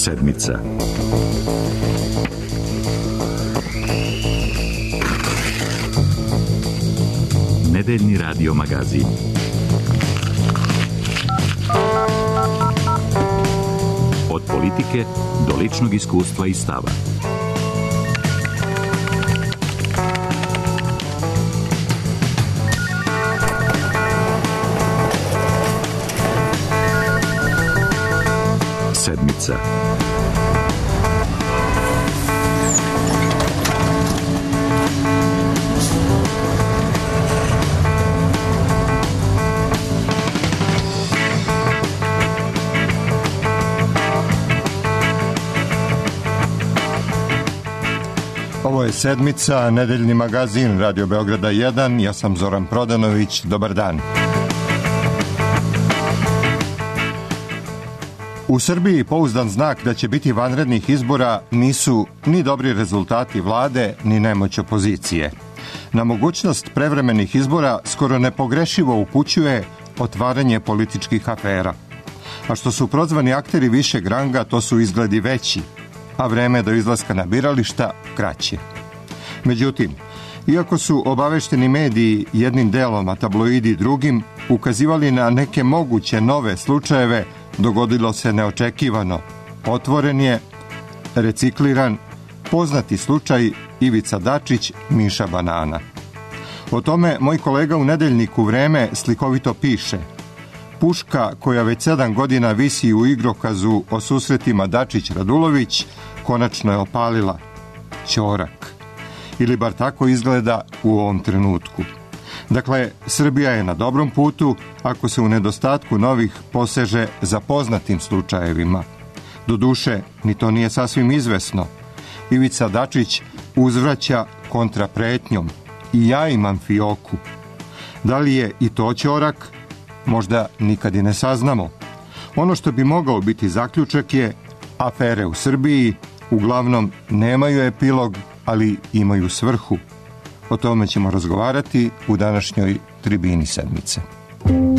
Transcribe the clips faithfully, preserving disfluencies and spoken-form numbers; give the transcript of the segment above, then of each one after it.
Sedmica. Nedeljni radio magazin. Od politike do ličnog iskustva i stava. Sedmica. Ovo je Sedmica, nedeljni magazin Radio Beograda jedan. Ja sam Zoran Prodanović. Dobar dan. U Srbiji pouzdan znak da će biti vanrednih izbora nisu ni dobri rezultati vlade, ni nemoć opozicije. Na mogućnost prevremenih izbora skoro nepogrešivo upućuje otvaranje političkih afera. A što su prozvani akteri višeg ranga, to su izgledi veći, a vreme do izlaska na birališta kraće. Međutim, iako su obavešteni mediji jednim delom, a tabloidi drugim, ukazivali na neke moguće nove slučajeve, dogodilo se neočekivano. Otvoren je, recikliran, poznati slučaj Ivica Dačić, Miša Banana. O tome moj kolega u nedeljniku Vreme slikovito piše: puška koja već sedam godina visi u igrokazu o susretima Dačić-Radulović konačno je opalila. Ćorak. Ili bar tako izgleda u ovom trenutku. Dakle, Srbija je na dobrom putu ako se u nedostatku novih poseže za poznatim slučajevima. Doduše, ni to nije sasvim izvesno. Ivica Dačić uzvraća kontrapretnjom: i ja imam fioku. Da li je i to ćorak? Možda nikad i ne saznamo. Ono što bi mogao biti zaključak je: afere u Srbiji uglavnom nemaju epilog, ali imaju svrhu. O tome ćemo razgovarati u današnjoj tribini Sedmice. Mon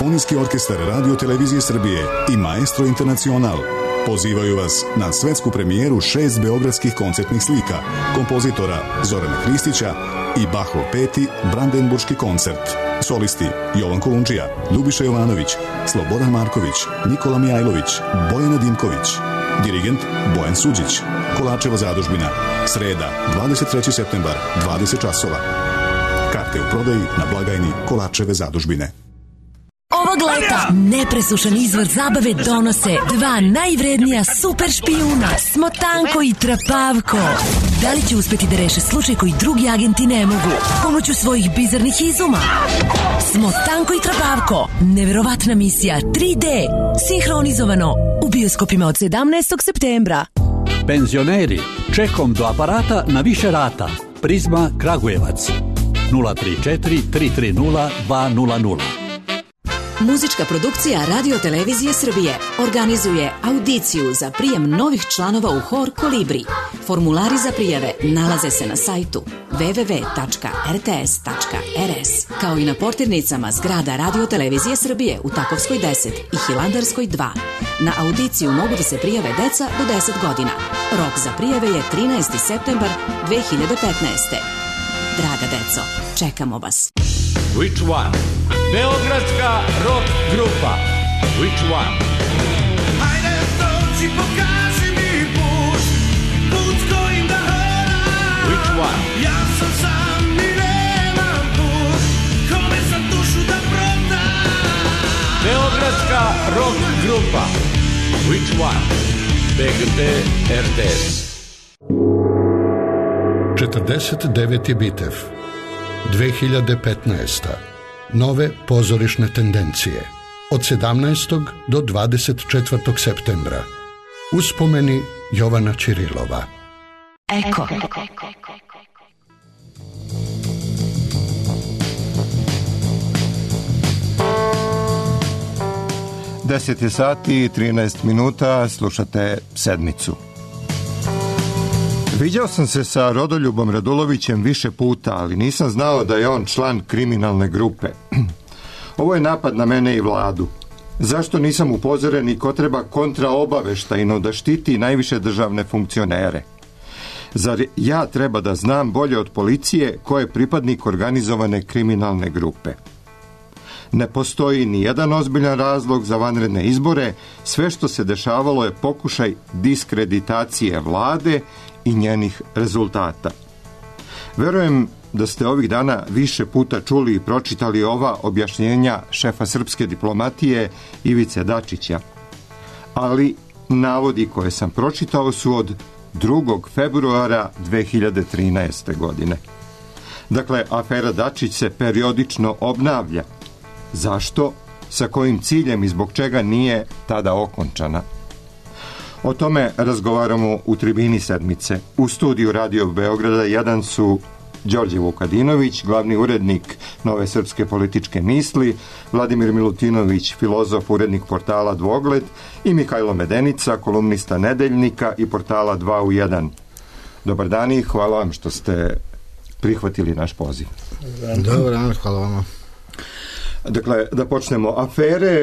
Simfonijski orkestar Radio Televizije Srbije i Maestro Internacional pozivaju vas na svetsku premijeru šest beogradskih koncertnih slika kompozitora Zorana Hristića i Bachov peti Brandenburški koncert. Solisti Jovan Kolundžija, Ljubiša Jovanović, Slobodan Marković, Nikola Mijajlović, Bojana Dimković. Dirigent Bojan Suđić. Kolačeva zadužbina. Sreda, dvadeset treći septembar, dvadeset časova. Karte u prodaji na blagajni Kolačeve zadužbine. Ovog leta nepresušan izvor zabave donose dva najvrednija super špijuna, Smotanko i Trapavko. Da li će uspeti da reše slučaj koji drugi agenti ne mogu pomoću svojih bizarnih izuma? Smotanko i Trapavko, neverovatna misija tri D, sinhronizovano u bioskopima od sedamnaestog septembra. Penzioneri, čekom do aparata na više rata. Prizma Kragujevac nula tri četiri tri tri nula dva nula nula. Muzička produkcija Radio Televizije Srbije organizuje audiciju za prijem novih članova u hor Kolibri. Formulari za prijave nalaze se na sajtu w w w tačka r t s tačka r s, kao i na portirnicama zgrada Radio Televizije Srbije u Takovskoj deset i Hilandarskoj dva. Na audiciju mogu da se prijave deca do deset godina. Rok za prijave je trinaesti septembar dve hiljade petnaeste. Draga deco, čekamo vas. Which one? Beogradska rock grupa. Which one? Hajde stroci, pokaži mi put, put s kojim da hodam. Which one? Ja sam sam i nemam put, kome sam dušu da prodam. Beogradska rock grupa. Which one? B G T R T S. četrdeset deveti Bitev, dve hiljade petnaesta. Nove pozorišne tendencije. Od sedamnaestog do dvadeset četvrtog septembra. Uspomeni Jovana Ćirilova. Eko. deset je sati i trinaest minuta, slušate Sedmicu. Viđao sam se sa Rodoljubom Radulovićem više puta, ali nisam znao da je on član kriminalne grupe. Ovo je napad na mene i vladu. Zašto nisam upozoren i ko treba kontraobaveštajno da štiti najviše državne funkcionere? Zar ja treba da znam bolje od policije ko je pripadnik organizovane kriminalne grupe? Ne postoji ni jedan ozbiljan razlog za vanredne izbore, sve što se dešavalo je pokušaj diskreditacije vlade i njenih rezultata. Verujem da ste ovih dana više puta čuli i pročitali ova objašnjenja šefa srpske diplomatije Ivice Dačića, ali navodi koje sam pročitao su od drugog februara dve hiljade trinaeste. godine. Dakle, afera Dačić se periodično obnavlja. Zašto? Sa kojim ciljem i zbog čega nije tada okončana? O tome razgovaramo u tribini Sedmice. U studiju Radio Beograda jedan su Đorđe Vukadinović, glavni urednik Nove srpske političke misli, Vladimir Milutinović, filozof, urednik portala Dvogled, i Mihajlo Medenica, kolumnista Nedeljnika i portala dva u jedan. Dobar dan i hvala vam što ste prihvatili naš poziv. Dobar dan, hvala vama. Dakle, da počnemo. Afere,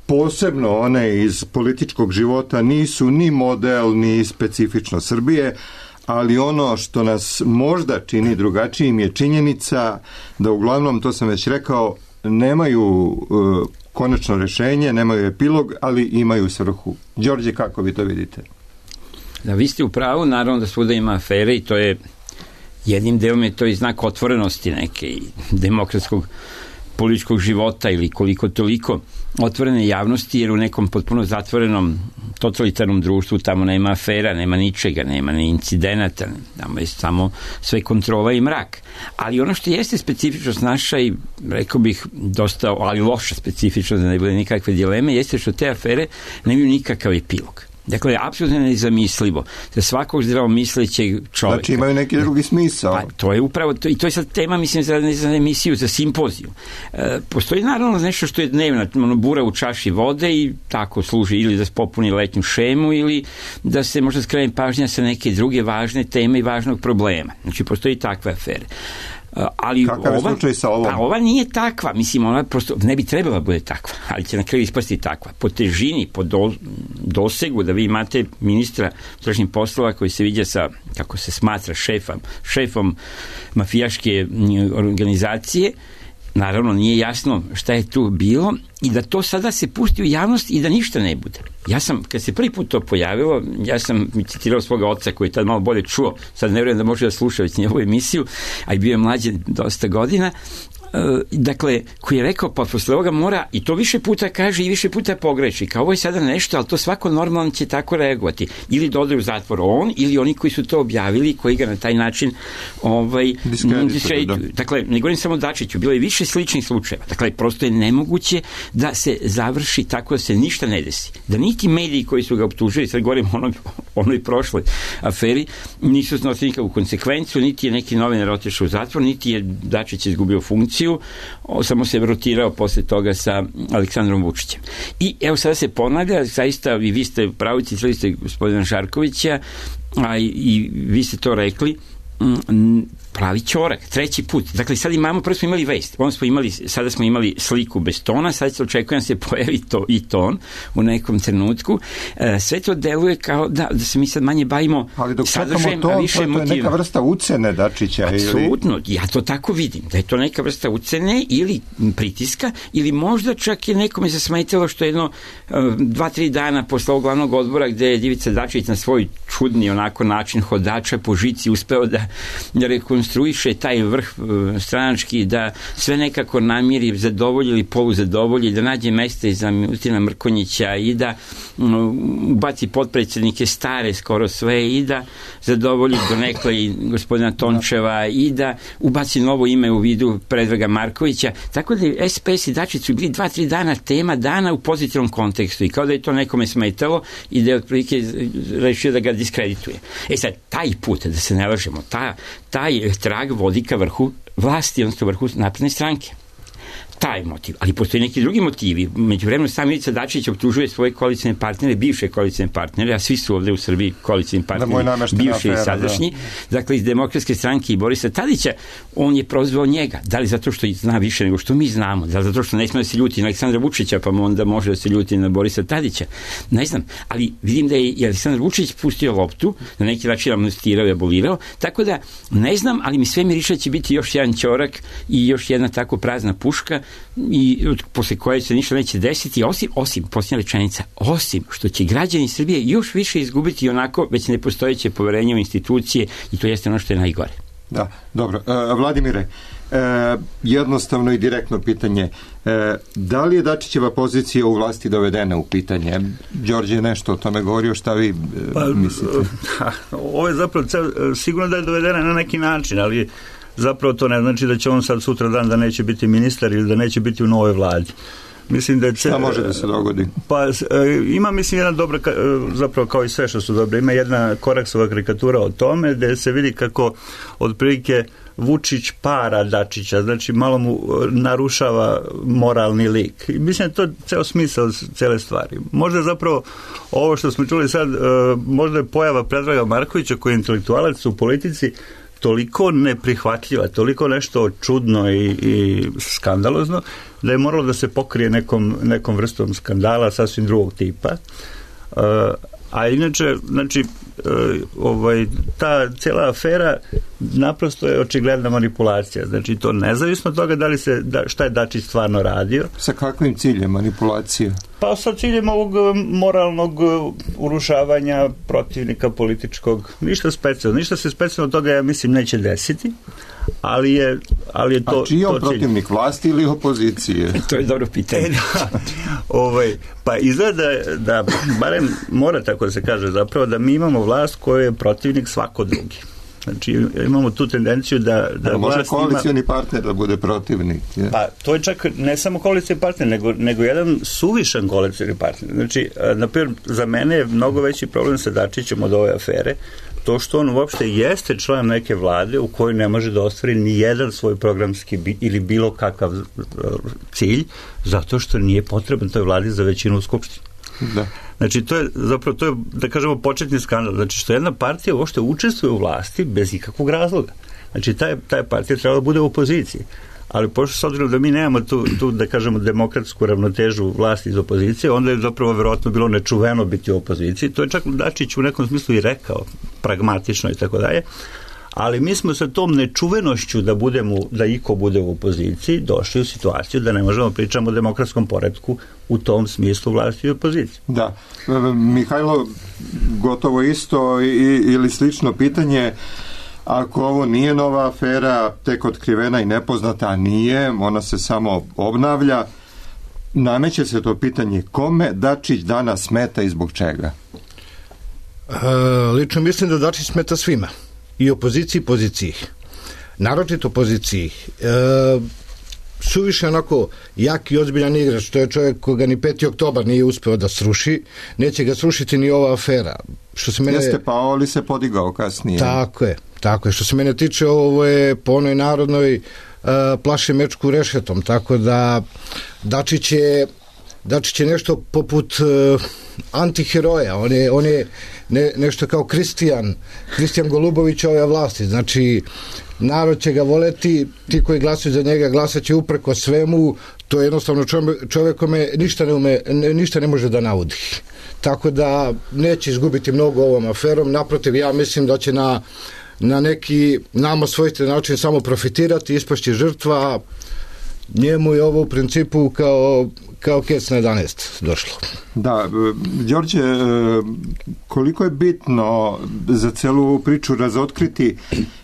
posebno one iz političkog života, nisu ni model, ni specifično Srbije, ali ono što nas možda čini drugačijim je činjenica da uglavnom, to sam već rekao, nemaju uh, konačno rešenje, nemaju epilog, ali imaju svrhu. Đorđe, kako vi to vidite? Da, vi ste u pravu, naravno da svuda ima afere i to je jednim delom je to i znak otvorenosti neke i demokratskog političkog života ili koliko toliko otvorene javnosti, jer u nekom potpuno zatvorenom totalitarnom društvu tamo nema afera, nema ničega, nema ni incidenata, tamo je samo sve kontrola i mrak. Ali ono što jeste specifičnost naša i rekao bih dosta, ali loša specifičnost, da ne bude nikakve dileme, jeste što te afere nemaju nikakav epilog. Dakle, apsolutno nezamislivo za svakog zdravomislećeg čovjeka. Znači imaju neki drugi smisao. Pa, to je upravo, to, i to je sad tema, mislim, za, za emisiju, za simpoziju. E, postoji naravno nešto što je dnevna, ono, bura u čaši vode i tako služi ili da se popuni letnju šemu ili da se možda skrene pažnja sa neke druge važne teme i važnog problema. Znači, postoji takve afere. Ali kakav je ova, slučaj sa ovom? Pa ova nije takva, mislim, ona prosto ne bi trebala bude takva, ali će na kraju ispasti takva. Po težini, po do, dosegu, da vi imate ministra unutrašnjih poslova koji se viđa sa, kako se smatra, šefom, šefom mafijaške organizacije, naravno nije jasno šta je tu bilo i da to sada se pusti u javnost i da ništa ne bude. Ja sam, kad se prvi put to pojavilo, ja sam citirao svoga oca koji je tad malo bolje čuo, sad ne vjerujem da može da sluša već njegovu emisiju, a i bio je mlađe dosta godina, dakle, koji je rekao, pa posle ovoga mora, i to više puta kaže i više puta pogreši, kao ovo je sada nešto, ali to svako normalno će tako reagovati. Ili da ode u zatvor on, ili oni koji su to objavili, koji ga na taj način ovaj, diskredituju. Dakle, ne govorim samo Dačiću, bilo je više sličnih slučajeva. Dakle, prosto je nemoguće da se završi tako da se ništa ne desi. Da niti mediji koji su ga optužili, sad govorim o onoj, onoj prošloj aferi, nisu snosili nikakvu konsekvenciju, niti je neki novinar otišao u zatvor, niti je Dačić izgubio funkciju, samo se rotirao posle toga sa Aleksandrom Vučićem. I evo sada se ponavlja, zaista i vi ste pravi, citirali ste gospodina Žarkovića, a i, i vi ste to rekli, m, pravi ćorak, treći put. Dakle, sad imamo, prvo smo imali vest, onda smo imali, sada smo imali sliku bez tona, sad se očekujem da se pojavi to i ton u nekom trenutku. E, sve to deluje kao da, da se mi sad manje bavimo sadržajem, a više motivima. To je neka vrsta ucene Dačića. Apsolutno, ili... ja to tako vidim, da je to neka vrsta ucene ili pritiska, ili možda čak je nekome zasmetalo što jedno dva, tri dana posle ovog glavnog odbora gde je Ivica Dačić na svoj čudni onako način hodača po žici uspeo da, da rekonstruiše taj vrh stranački, da sve nekako namiri, zadovolji ili poluzadovolji, da nađe mesta i za Milutina Mrkonjića i da ubaci potpredsjednike stare skoro sve i da zadovolji donekle i gospodina Tončeva i da ubaci novo ime u vidu Predraga Markovića. Tako da S P S i Dačić su bili dva, tri dana tema dana u pozitivnom kontekstu i kao da je to nekome smetalo i da je otprilike rešio da ga diskredituje. E sad, taj put, da se ne lažemo, ta, taj trag vodi ka vrhu vlasti, odnosno vrhu napredne stranke. Taj motiv, ali postoji neki drugi motivi. Međuvremeno sam Ivica Dačić optužuje svoje koalicijne partnere, bivše koalicijne partnere, a svi su ovde u Srbiji koalicijni partneri, bivši i sadašnji, da. Dakle iz Demokratske stranke i Borisa Tadića, on je prozvao njega. Da li zato što zna više nego što mi znamo, da li zato što ne sme da se ljuti na Aleksandra Vučića, pa mu onda može da se ljuti na Borisa Tadića. Ne znam, ali vidim da je i Aleksandar Vučić pustio loptu, na neki način amnestirao i abolirao, tako da ne znam, ali mi sve miriše će biti još jedan ćorak i još jedna tako prazna puška i posle koje se ništa neće desiti, osim, osim, posljednja rečenica, osim što će građani Srbije još više izgubiti onako već nepostojeće poverenje u institucije i to jeste ono što je najgore. Da, dobro. E, Vladimire, e, jednostavno i direktno pitanje. E, da li je Dačićeva pozicija u vlasti dovedena u pitanje? Đorđe je nešto o tome govorio, šta vi e, pa, mislite? Ha, ovo je zapravo sigurno da je dovedena na neki način, ali zapravo to ne znači da će on sad sutra dan da neće biti ministar ili da neće biti u novoj vladi. Mislim da je šta može da se dogodi? Pa ima, mislim, jedna dobra, zapravo kao i sve što su dobre, ima jedna Koraksova karikatura o tome gde se vidi kako otprilike Vučić para Dačića, znači malo mu narušava moralni lik. I mislim da je to ceo smisao cele stvari. Možda je zapravo ovo što smo čuli sad, možda je pojava Predraga Markovića koji je intelektualac u politici toliko neprihvatljiva, toliko nešto čudno i, i skandalozno, da je moralo da se pokrije nekom, nekom vrstom skandala sasvim drugog tipa. Uh, a inače, znači, uh, ovaj, ta cijela afera naprosto je očigledna manipulacija. Znači, to nezavisno od toga da li se, da, šta je Dačić stvarno radio. Sa kakvim ciljem manipulacije? Pa sa ciljem ovog moralnog urušavanja protivnika političkog. Ništa specijalno. Ništa se specijalno od toga, ja mislim, neće desiti. Ali je, ali je to... A čiji je on protivnik, vlasti ili opozicije? To je dobro pitanje. E, da, ovaj, pa izgleda da, da, barem mora tako da se kaže zapravo, da mi imamo vlast koja je protivnik svako drugi. Znači imamo tu tendenciju da... da A može koalicijani ima... partner da bude protivnik? Je. Pa to je čak ne samo koalicijani partner, nego, nego jedan suvišan koalicijani partner. Znači, na primjer, za mene je mnogo veći problem sa Dačićem od ove afere, to što on uopšte jeste član neke vlade u kojoj ne može da ostvari ni jedan svoj programski bi, ili bilo kakav cilj, zato što nije potreban toj vladi za većinu u Skupštini. Da. Znači, to je zapravo, to je, da kažemo, početni skandal. Znači, što jedna partija uopšte učestvuje u vlasti bez ikakvog razloga. Znači, taj, taj partija trebala da bude u opoziciji. Ali pošto s obzirom da mi nemamo tu, tu, da kažemo, demokratsku ravnotežu vlasti iz opozicije, onda je zapravo verovatno bilo nečuveno biti u opoziciji. To je čak Dačić u nekom smislu i rekao, pragmatično i tako dalje. Ali mi smo sa tom nečuvenošću da budemo, da iko bude u opoziciji, došli u situaciju da ne možemo pričamo o demokratskom poretku u tom smislu vlasti i opozicije. Da. Mihajlo, gotovo isto i, ili slično pitanje. Ako ovo nije nova afera, tek otkrivena i nepoznata, a nije, ona se samo obnavlja, nameće se to pitanje kome Dačić danas smeta i zbog čega? E, lično mislim da Dačić smeta svima. I opoziciji i poziciji. Naročito opoziciji. E, suviše onako jak i ozbiljan igrač, to je čovjek koga ni peti oktobar nije uspeo da sruši, neće ga srušiti ni ova afera. Što se mene... Jeste pao, ali se podigao kasnije. Tako je, tako je. Što se mene tiče, ovo je po onoj narodnoj uh, plaše mečku rešetom, tako da Dačić je Dačić je nešto poput uh, antiheroja, on je, on je ne, nešto kao Kristijan Kristijan Golubović ove vlasti, znači narod će ga voleti, ti koji glasuju za njega glasat će upreko svemu, to je jednostavno čovjek kome ništa ne, ume, ništa ne može da naudi. Tako da neće izgubiti mnogo ovom aferom, naprotiv, ja mislim da će na, na neki nama svojstven način samo profitirati, ispašći žrtva, njemu je ovo u principu kao, kao kec na jedanaest došlo. Da, Đorđe, koliko je bitno za celu priču razotkriti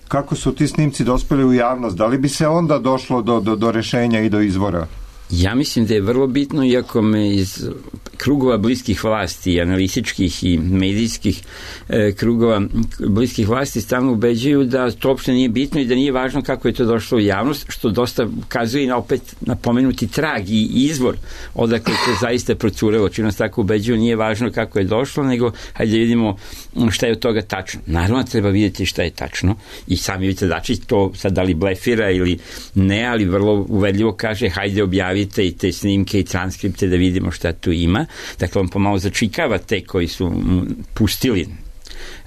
kako su ti snimci dospeli u javnost? Da li bi se onda došlo do, do, do rešenja i do izvora? Ja mislim da je vrlo bitno, iako me iz krugova bliskih vlasti, analitičkih i medijskih e, krugova bliskih vlasti stalno ubeđuju da to uopšte nije bitno i da nije važno kako je to došlo u javnost, što dosta ukazuje na opet napomenuti trag i izvor odakle to zaista procurelo. Čim nas tako ubeđuju, nije važno kako je došlo, nego hajde vidimo šta je od toga tačno. Naravno treba vidjeti šta je tačno i sami Ivica Dačić to sad da li blefira ili ne, ali vrlo uvedljivo kaže hajde objavi i te snimke i transkripte da vidimo šta tu ima. Dakle, on pomalo začikava te koji su pustili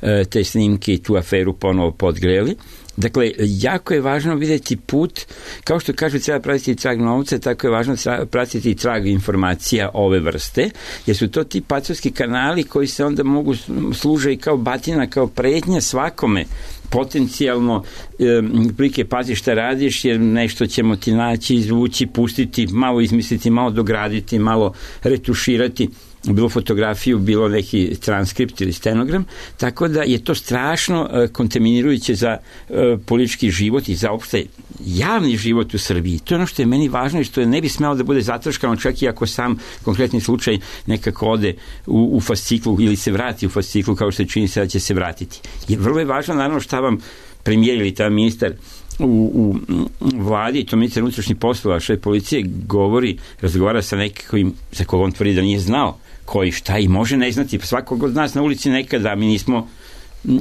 e, te snimke i tu aferu ponovo podgreli. Dakle, jako je važno vidjeti put, kao što kažu treba pratiti trag novca, tako je važno pratiti trag informacija ove vrste, jer su to ti pacovski kanali koji se onda mogu služe i kao batina, kao pretnja svakome potencijalno e, prike pazi šta radiš jer nešto ćemo ti naći, izvući, pustiti, malo izmisliti, malo dograditi, malo retuširati, bilo fotografiju, bilo neki transkript ili stenogram, tako da je to strašno e, kontaminirujuće za e, politički život i za opšte javni život u Srbiji. To je ono što je meni važno i što je ne bi smelo da bude zatrškano čak i ako sam konkretni slučaj nekako ode u, u fasciklu ili se vrati u fasciklu kao što čini se da će se vratiti. Jer vrlo je važno naravno šta vam premijer ili ta ministar u, u, u vladi, to ministar unutrašnjih poslova, šef policije govori, razgovara sa nekim za koga on tvrdi da nije znao koji šta i može ne znati. Svakog od nas na ulici nekada mi nismo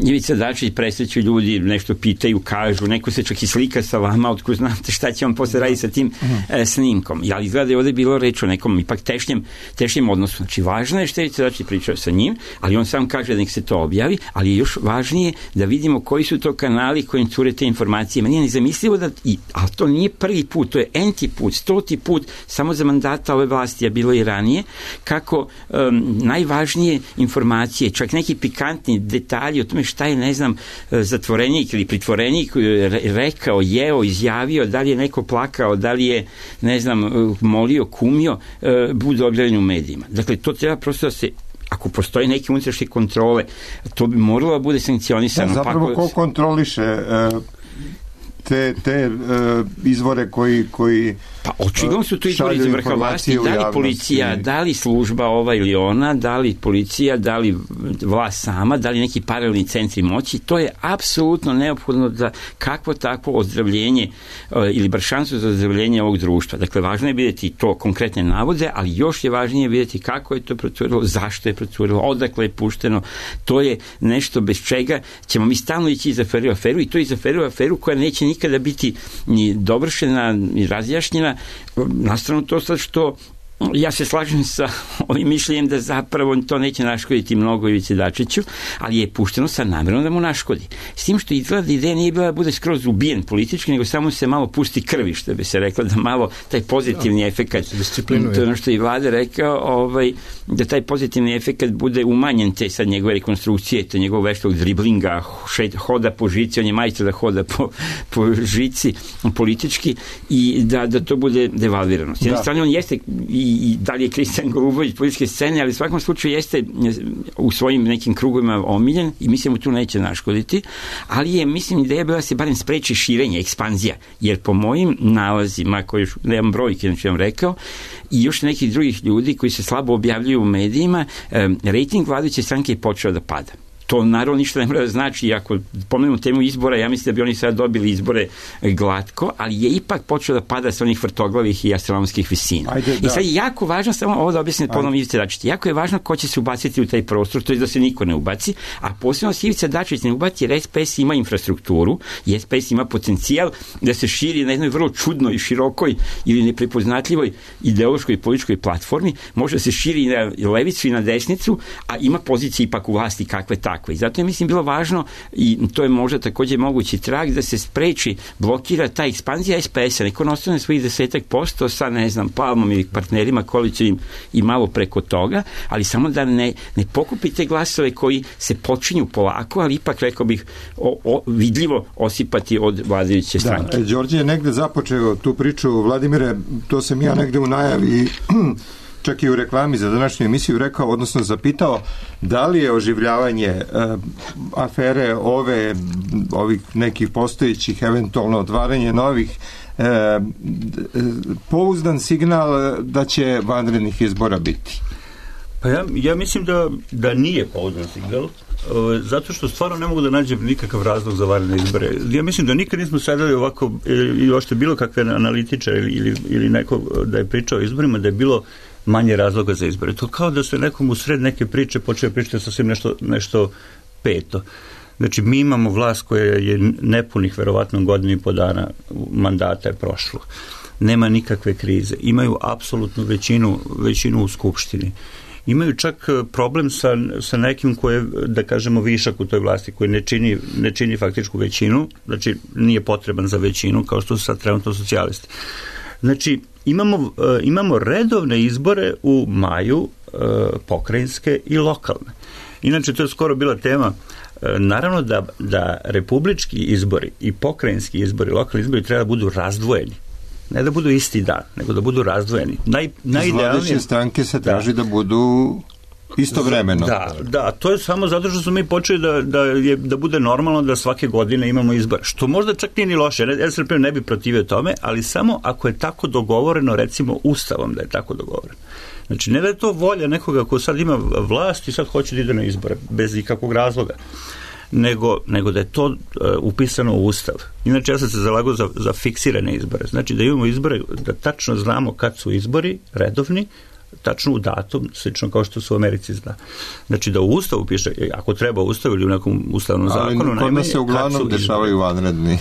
Ivica Dačić, presreću ljudi, nešto pitaju, kažu, neko se čak i slika sa vama, otko znate šta će on posle raditi sa tim e, snimkom. Ali izgleda da je ovdje bilo reč o nekom ipak tešnjem, tešnjem odnosu. Znači, važno je što je Ivica Dačić pričao sa njim, ali on sam kaže da nek se to objavi, ali je još važnije da vidimo koji su to kanali kojim cure te informacije. Meni je nezamislivo da, i, ali to nije prvi put, to je enti put, stoti put, samo za mandata ove vlasti, a bilo i ranije, kako um, najvažnije informacije, čak neki pikantni detalji o tome šta je, ne znam, zatvorenik ili pritvorenik rekao, jeo, izjavio, da li je neko plakao, da li je, ne znam, molio, kumio, budu objavljeni u medijima. Dakle, to treba prosto da se, ako postoji neke unutrašnje kontrole, to bi moralo da bude sankcionisano. Da, zapravo pa, ko kontroliše te, te uh, izvore koji, koji pa očigledno su tu izvori iz vrha vlasti, da li policija, da li služba ova ili ona, da li policija, da li vlast sama, da li neki paralelni centri moći, to je apsolutno neophodno za kakvo takvo ozdravljenje uh, ili bar šansu za ozdravljenje ovog društva. Dakle, važno je vidjeti to konkretne navode, ali još je važnije vidjeti kako je to procurilo, zašto je procurilo, odakle je pušteno. To je nešto bez čega ćemo mi stalno ići iz aferu u aferu i to iz aferu u aferu koja neće nikada biti ni dovršena, ni razjašnjena. Nastrano to sad što ja se slažem sa ovim mišljenjem da zapravo to neće naškoditi mnogo Ivici Dačiću, ali je pušteno sa namjerom da mu naškodi. S tim što izgleda ideja nije bila da bude skroz ubijen politički, nego samo se malo pusti krvi, što bi se rekla, da malo taj pozitivni efekat, to je ono što je i Vlada rekao, ovaj, da taj pozitivni efekat bude umanjen te sad njegove rekonstrukcije, te njegovog veštog driblinga, hoda po žici, on je majstor da hoda po, po žici politički i da, da to bude devalvirano. S jedne strane on jeste i i da li je Kristijan Golubović političke scene, ali u svakom slučaju jeste u svojim nekim krugovima omiljen i mislim mu tu neće naškoditi, ali je, mislim, ideja bila da se barem spreči širenje, ekspanzija, jer po mojim nalazima, koji nemam brojke, znači vam rekao, i još nekih drugih ljudi koji se slabo objavljuju u medijima, rejting vladajuće stranke je počeo da pada. To naravno ništa ne mora da znači, ako pomenemo temu izbora, ja mislim da bi oni sad dobili izbore glatko, ali je ipak počeo da pada sa onih vrtoglavih i astronomskih visina. Ajde, I sad je jako važno, samo ovo da objasnim ponovno Ivica Dačić, jako je važno ko će se ubaciti u taj prostor, to je da se niko ne ubaci, a posebno se Ivica Dačić ne ubaci jer S P S ima infrastrukturu i S P S ima potencijal da se širi na jednoj vrlo čudnoj, širokoj ili neprepoznatljivoj ideološkoj i političkoj platformi, može da se širi na levicu i na desnicu, a ima pozicije ipak u vlasti kakve takve. I zato je, mislim, bilo važno, i to je možda također mogući trag, da se spreči, blokira ta ekspanzija S P S-a, neko ostane svojih desetak posto sa, ne znam, Palmom ili partnerima koalicijim i malo preko toga, ali samo da ne, ne pokupi te glasove koji se počinju polako, ali ipak, rekao bih, o, o, vidljivo osipati od vladajuće stranke. Da, Đorđe je negde započeo tu priču, Vladimire, to sam ja negde u najavi čak i u reklami za današnju emisiju rekao, odnosno zapitao, da li je oživljavanje e, afere ove, ovih nekih postojećih, eventualno otvaranje novih, e, pouzdan signal da će vanrednih izbora biti? Pa ja, ja mislim da, da nije pouzdan signal, zato što stvarno ne mogu da nađem nikakav razlog za vanredne izbore. Ja mislim da nikad nismo sedeli ovako, ili ošte bilo kakve analitičare ili, ili, ili neko da je pričao o izborima, da je bilo manje razloga za izbore. To kao da se nekom u sred neke priče počeo pričati sasvim nešto, nešto peto. Znači, mi imamo vlast koja je nepunih, verovatno, godinu i po dana mandata je prošlo. Nema nikakve krize. Imaju apsolutnu većinu, većinu u Skupštini. Imaju čak problem sa, sa nekim koje, da kažemo, višak u toj vlasti, koji ne čini, ne čini faktičku većinu, znači nije potreban za većinu, kao što su sad trenutno socijalisti. Znači, imamo, imamo redovne izbore u maju, pokrajinske i lokalne. Inače, to je skoro bila tema. Naravno da, da republički izbori i pokrajinski izbori, lokalni izbori treba da budu razdvojeni. Ne da budu isti dan, nego da budu razdvojeni. Naj, Iz vladajuće stranke se traži da, da budu istovremeno. Da, da, to je samo zato što smo mi počeli da, da, je, da bude normalno da svake godine imamo izbor. Što možda čak nije ni loše, S R P ne bi protivio tome, ali samo ako je tako dogovoreno, recimo Ustavom da je tako dogovoreno. Znači, ne da je to volja nekoga ko sad ima vlast i sad hoće da ide na izbore, bez ikakvog razloga. Nego, nego da je to uh, upisano u Ustav. Inače, ja sam se zalagao za, za fiksirane izbore. Znači, da imamo izbore, da tačno znamo kad su izbori, redovni, tačno u datum, slično kao što su u Americi zna. Znači, da u Ustavu piše, ako treba u Ustavu ili u nekom ustavnom ali zakonu, najmanje, se uglavnom dešavaju vanredni.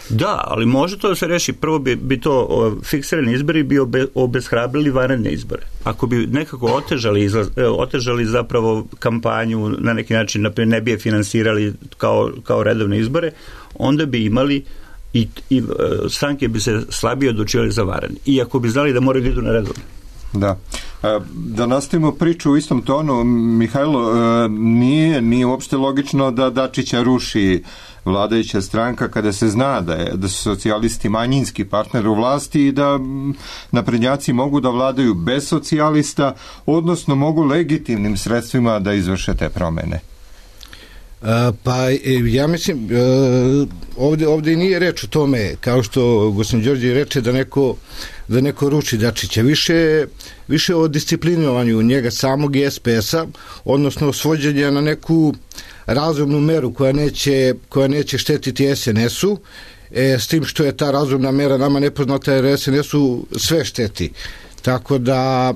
Da, ali može to da se reši. Prvo bi, bi to o, fiksirani izbori bi obe, obeshrabrili vanredne izbore. Ako bi nekako otežali, izlaz, otežali zapravo kampanju, na neki način, naprimjer, ne bi je finansirali kao, kao redovne izbore, onda bi imali i, i stranke bi se slabije odlučivali za vanredne. Iako bi znali da moraju da idu na redovne. Da. Da nastavimo priču u istom tonu, Mihajlo, nije, nije uopšte logično da Dačića ruši vladajuća stranka kada se zna da, je, da su socijalisti manjinski partner u vlasti i da naprednjaci mogu da vladaju bez socijalista, odnosno mogu legitimnim sredstvima da izvrše te promene. Pa ja mislim ovdje, ovdje nije reč o tome, kao što gospodin Đorđe reče, da neko, da neko ruči Dačića, više, više o disciplinovanju njega samog i S P S-a, odnosno svođenja na neku razumnu meru koja neće, koja neće štetiti S N S-u, e, s tim što je ta razumna mera nama nepoznata, jer S N S-u sve šteti. Tako da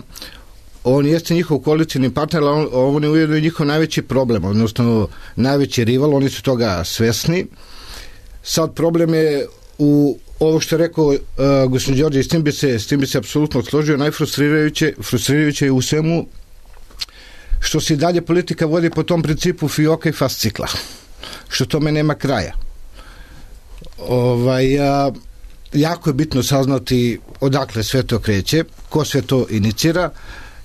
on jeste njihov koalicijni partner, ali on, on je ujedno i njihov najveći problem, odnosno najveći rival, oni su toga svesni. Sad problem je u ovo što je rekao uh, gospodin Đorđe, s tim bi se, s tim bi se apsolutno složio. Najfrustrirajuće frustrirajuće je u svemu što se i dalje politika vodi po tom principu fioka i fascikla, što tome nema kraja. Ovaj, a, jako je bitno saznati odakle sve to kreće, ko sve to inicira,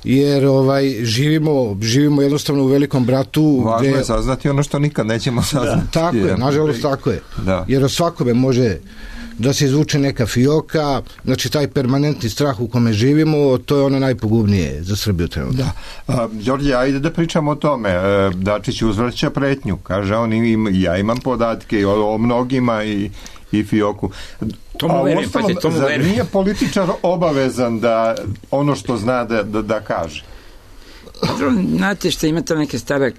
jer ovaj živimo živimo jednostavno u velikom bratu. Važno gde... je saznati ono što nikad nećemo saznati. Da, tako je, nažalost tako je. Da. Jer od svakome može da se izvuče neka fioka, znači taj permanentni strah u kome živimo, to je ono najpogubnije za Srbiju trenutno. Da. A, Đorđe, ajde da pričamo o tome. E, Dačić uzvraća pretnju. Kaže on, im, ja imam podatke o, o mnogima i, i fioku. To mu verujem, pa se to mu verujem. Nije političar obavezan da ono što zna da, da, da kaže? Znate što ima ta neka stara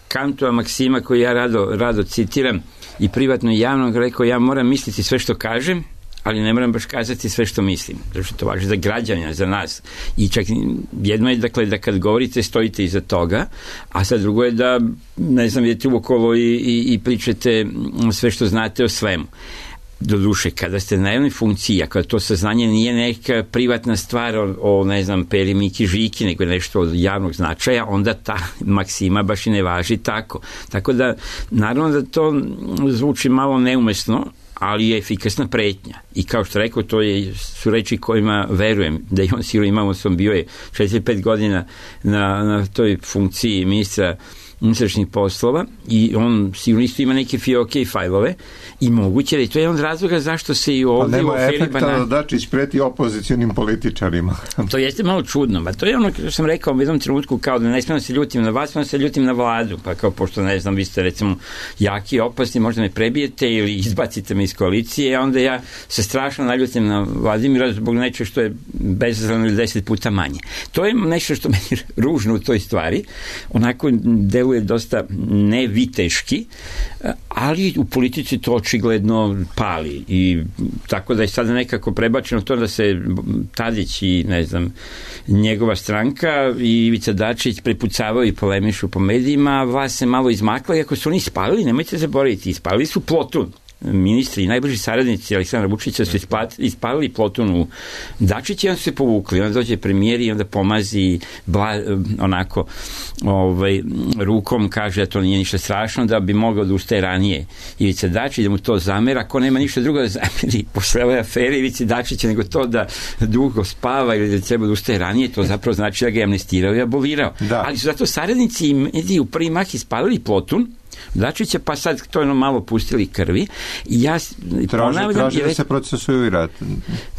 Kantova maksima koju ja rado, rado citiram i privatno i javno, rekao ja moram misliti sve što kažem, ali ne moram baš kazati sve što mislim, zato što to važi za građanja, za nas. I čak jedno je dakle da kad govorite stojite iza toga, a sad drugo je da ne znam, idete uokolo i, i, i pričate sve što znate o svemu. Doduše, kada ste na jednoj funkciji, a kada to saznanje nije neka privatna stvar o, o ne znam, Peri, Miki, Žiki, nego nešto od javnog značaja, onda ta maksima baš i ne važi tako. Tako da, naravno da to zvuči malo neumesno, ali je efikasna pretnja. I kao što rekao, to je, su reči kojima verujem, da i on sigurno imamo, sam bio je četiri pet godina na, na toj funkciji ministra unutrašnjih poslova i on sigurno isto ima neke fioke i fajlove i moguće da je to je jedan od razloga zašto se i ovdje u aferi Banana... Nema efekta da Dačić preti opozicionim političarima. To jeste malo čudno, ba to je ono što sam rekao u jednom trenutku, kao da ne smijem da se ljutim na vas, smijem da se ljutim na vladu, pa kao pošto ne znam, vi ste recimo jaki i opasni, možda me prebijete ili izbacite me iz koalicije, onda ja se strašno naljutim na Vladimira zbog nečeg što je bezazleno ili deset puta manje. To je nešto što meni ružno u toj stvari, onako deluje dosta neviteški, ali u politici to očigledno pali i tako da je sada nekako prebačeno to da se Tadić i ne znam njegova stranka i Ivica Dačić prepucavaju i polemišu po medijima, a vlast se malo izmakla, iako su oni ispalili, nemojte zaboraviti, ispalili su Plotun. Ministri i najbliži saradnici Aleksandra Vučića su ispalili Plotun u Dačića i onda su se povukli. Onda dođe premijer i onda pomazi bla, onako ovaj, rukom, kaže da to nije ništa strašno, da bi mogao da ustaje ranije Ivica Dačić, da mu to zamera. Ako nema ništa drugo da zameri posle ove afere Ivici Dačića, nego to da dugo spava ili da treba da ustaje ranije, to zapravo znači da ga je amnestirao i abolirao. Da. Ali su zato saradnici i mediji u prvi mah ispalili Plotun Dačića, pa sad to je ono malo pustili krvi i ja traži, traži da se procesuira.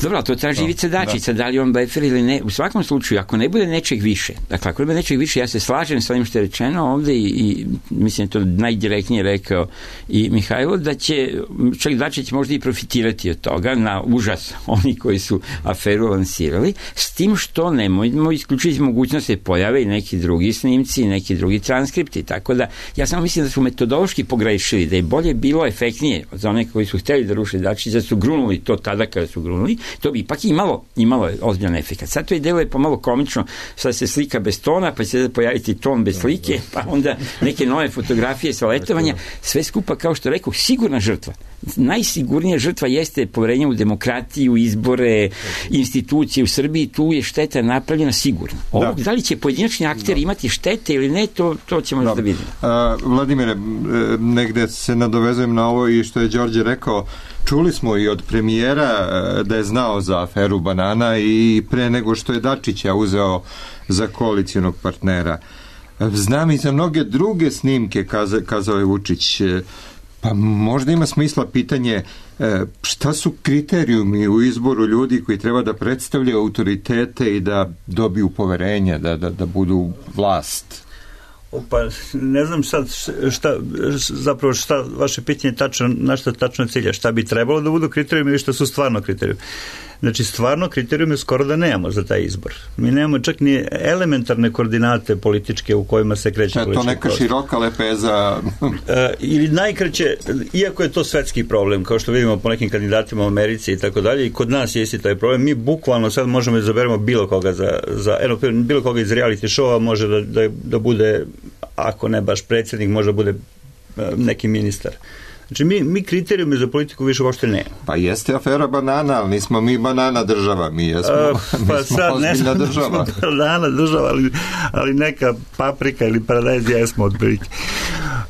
Dobro, to traži Ivica Dačića, da. da li on blefer ili ne. U svakom slučaju, ako ne bude nečeg više, dakle, ako ne bude nečeg više, ja se slažem sa onim što je rečeno ovde i, i mislim to najdirektnije rekao i Mihajlo, da će čak Dačić možda i profitirati od toga na užas oni koji su aferu lansirali, s tim što nemojmo isključiti mogućnost da se pojave i neki drugi snimci, neki drugi transkripti, tako da ja samo mislim da su metodološki pogrešili, da je bolje bilo efektnije za one koji su hteli da ruše Dačića, da su grunuli to tada kada su grunuli, to bi ipak imalo, imalo ozbiljan efekat. Sad to je delo je pomalo komično, sad se slika bez tona, pa će se pojaviti ton bez slike, pa onda neke nove fotografije sa letovanja, sve skupa, kao što rekao, sigurna žrtva. Najsigurnija žrtva jeste poverenje u demokratiju, izbore, institucije u Srbiji, tu je šteta napravljena sigurno. Ovo, da. da li će pojedinačni akteri imati štete ili ne, to, to ćemo da, da vidimo. A, Vladimire, negde se nadovezujem na ovo i što je Đorđe rekao, čuli smo i od premijera da je znao za aferu Banana i pre nego što je Dačića uzeo za koalicijonog partnera. Znam i za mnoge druge snimke, kaza, kazao je Vučić. Pa možda ima smisla pitanje šta su kriterijumi u izboru ljudi koji treba da predstavljaju autoritete i da dobiju poverenje, da, da, da budu vlast? Pa ne znam sad šta, zapravo šta vaše pitanje tačno, na šta tačno cilja, šta bi trebalo da budu kriterijumi ili šta su stvarno kriterijumi. Znači, stvarno kriterijume skoro da nemamo za taj izbor. Mi nemamo čak ni elementarne koordinate političke u kojima se kreće ja, politički to neka široka lepeza. e, ili najkraće, iako je to svetski problem, kao što vidimo po nekim kandidatima u Americi i tako dalje, i kod nas je isti taj problem, mi bukvalno sad možemo da izaberemo bilo koga za, za eno, bilo koga iz reality showa može da, da, da bude, ako ne baš predsjednik, može da bude neki ministar. Znači, mi, mi kriterijume za politiku više uopšte nema. Pa jeste afera banana, ali nismo mi banana država, mi jesmo, uh, pa mi smo sad, ozbiljna država. Banana država, ali, ali neka paprika ili paradajz jesmo otprilike.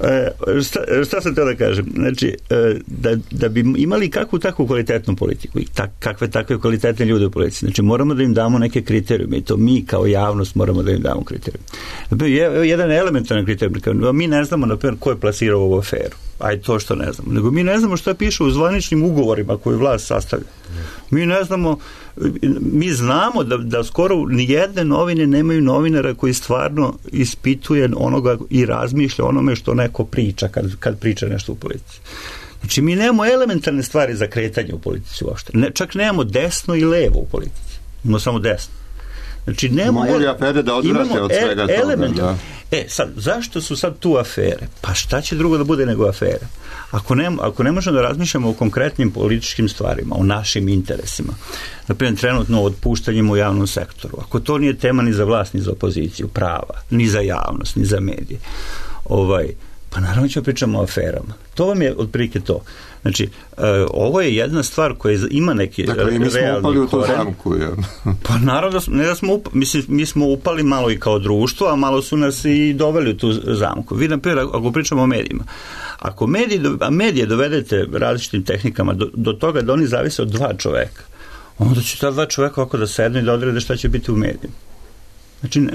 E, šta, šta sam teo da kažem? Znači, da, da bi imali kakvu takvu kvalitetnu politiku i tak, kakve takve kvalitetne ljude u politici, znači moramo da im damo neke kriterijume i to mi kao javnost moramo da im damo kriterijume. Jedan elementaran kriterijum, mi ne znamo, na primjer, ko je plasirao ovu aferu. Aj to što ne znamo. Nego mi ne znamo šta piše u zvaničnim ugovorima koje vlast sastavlja. Mi ne znamo, mi znamo da, da skoro nijedne novine nemaju novinara koji stvarno ispituje onoga i razmišlja onome što neko priča kad, kad priča nešto u politici. Znači mi nemamo elementarne stvari za kretanje u politici uopšte. Ne, čak nemamo desno i levo u politici. Imamo samo desno. Znači, nema, mogu li afere da odvrate od svega toga? Element. Da. E, sad, zašto su sad tu afere? Pa šta će drugo da bude nego afere? Ako ne, ako ne možemo da razmišljamo o konkretnim političkim stvarima, o našim interesima, naprimjer, trenutno o otpuštanjima u javnom sektoru, ako to nije tema ni za vlast, ni za opoziciju, prava, ni za javnost, ni za medije, ovaj, pa naravno ćemo pričamo o aferama. To vam je otprilike to. Znači, uh, ovo je jedna stvar koja ima neki dakle, realni koren. Dakle, mi smo upali u tu zamku, ja. Pa naravno, ne da smo upali, mislim, mi smo upali malo i kao društvo, a malo su nas i doveli u tu zamku. Vi, na primjer, ako pričamo o medijima, ako medije, a medije dovedete različitim tehnikama do, do toga da oni zavise od dva čoveka, onda će ta dva čoveka ovako da sednu i da odrede šta će biti u medijima. Znači, uh,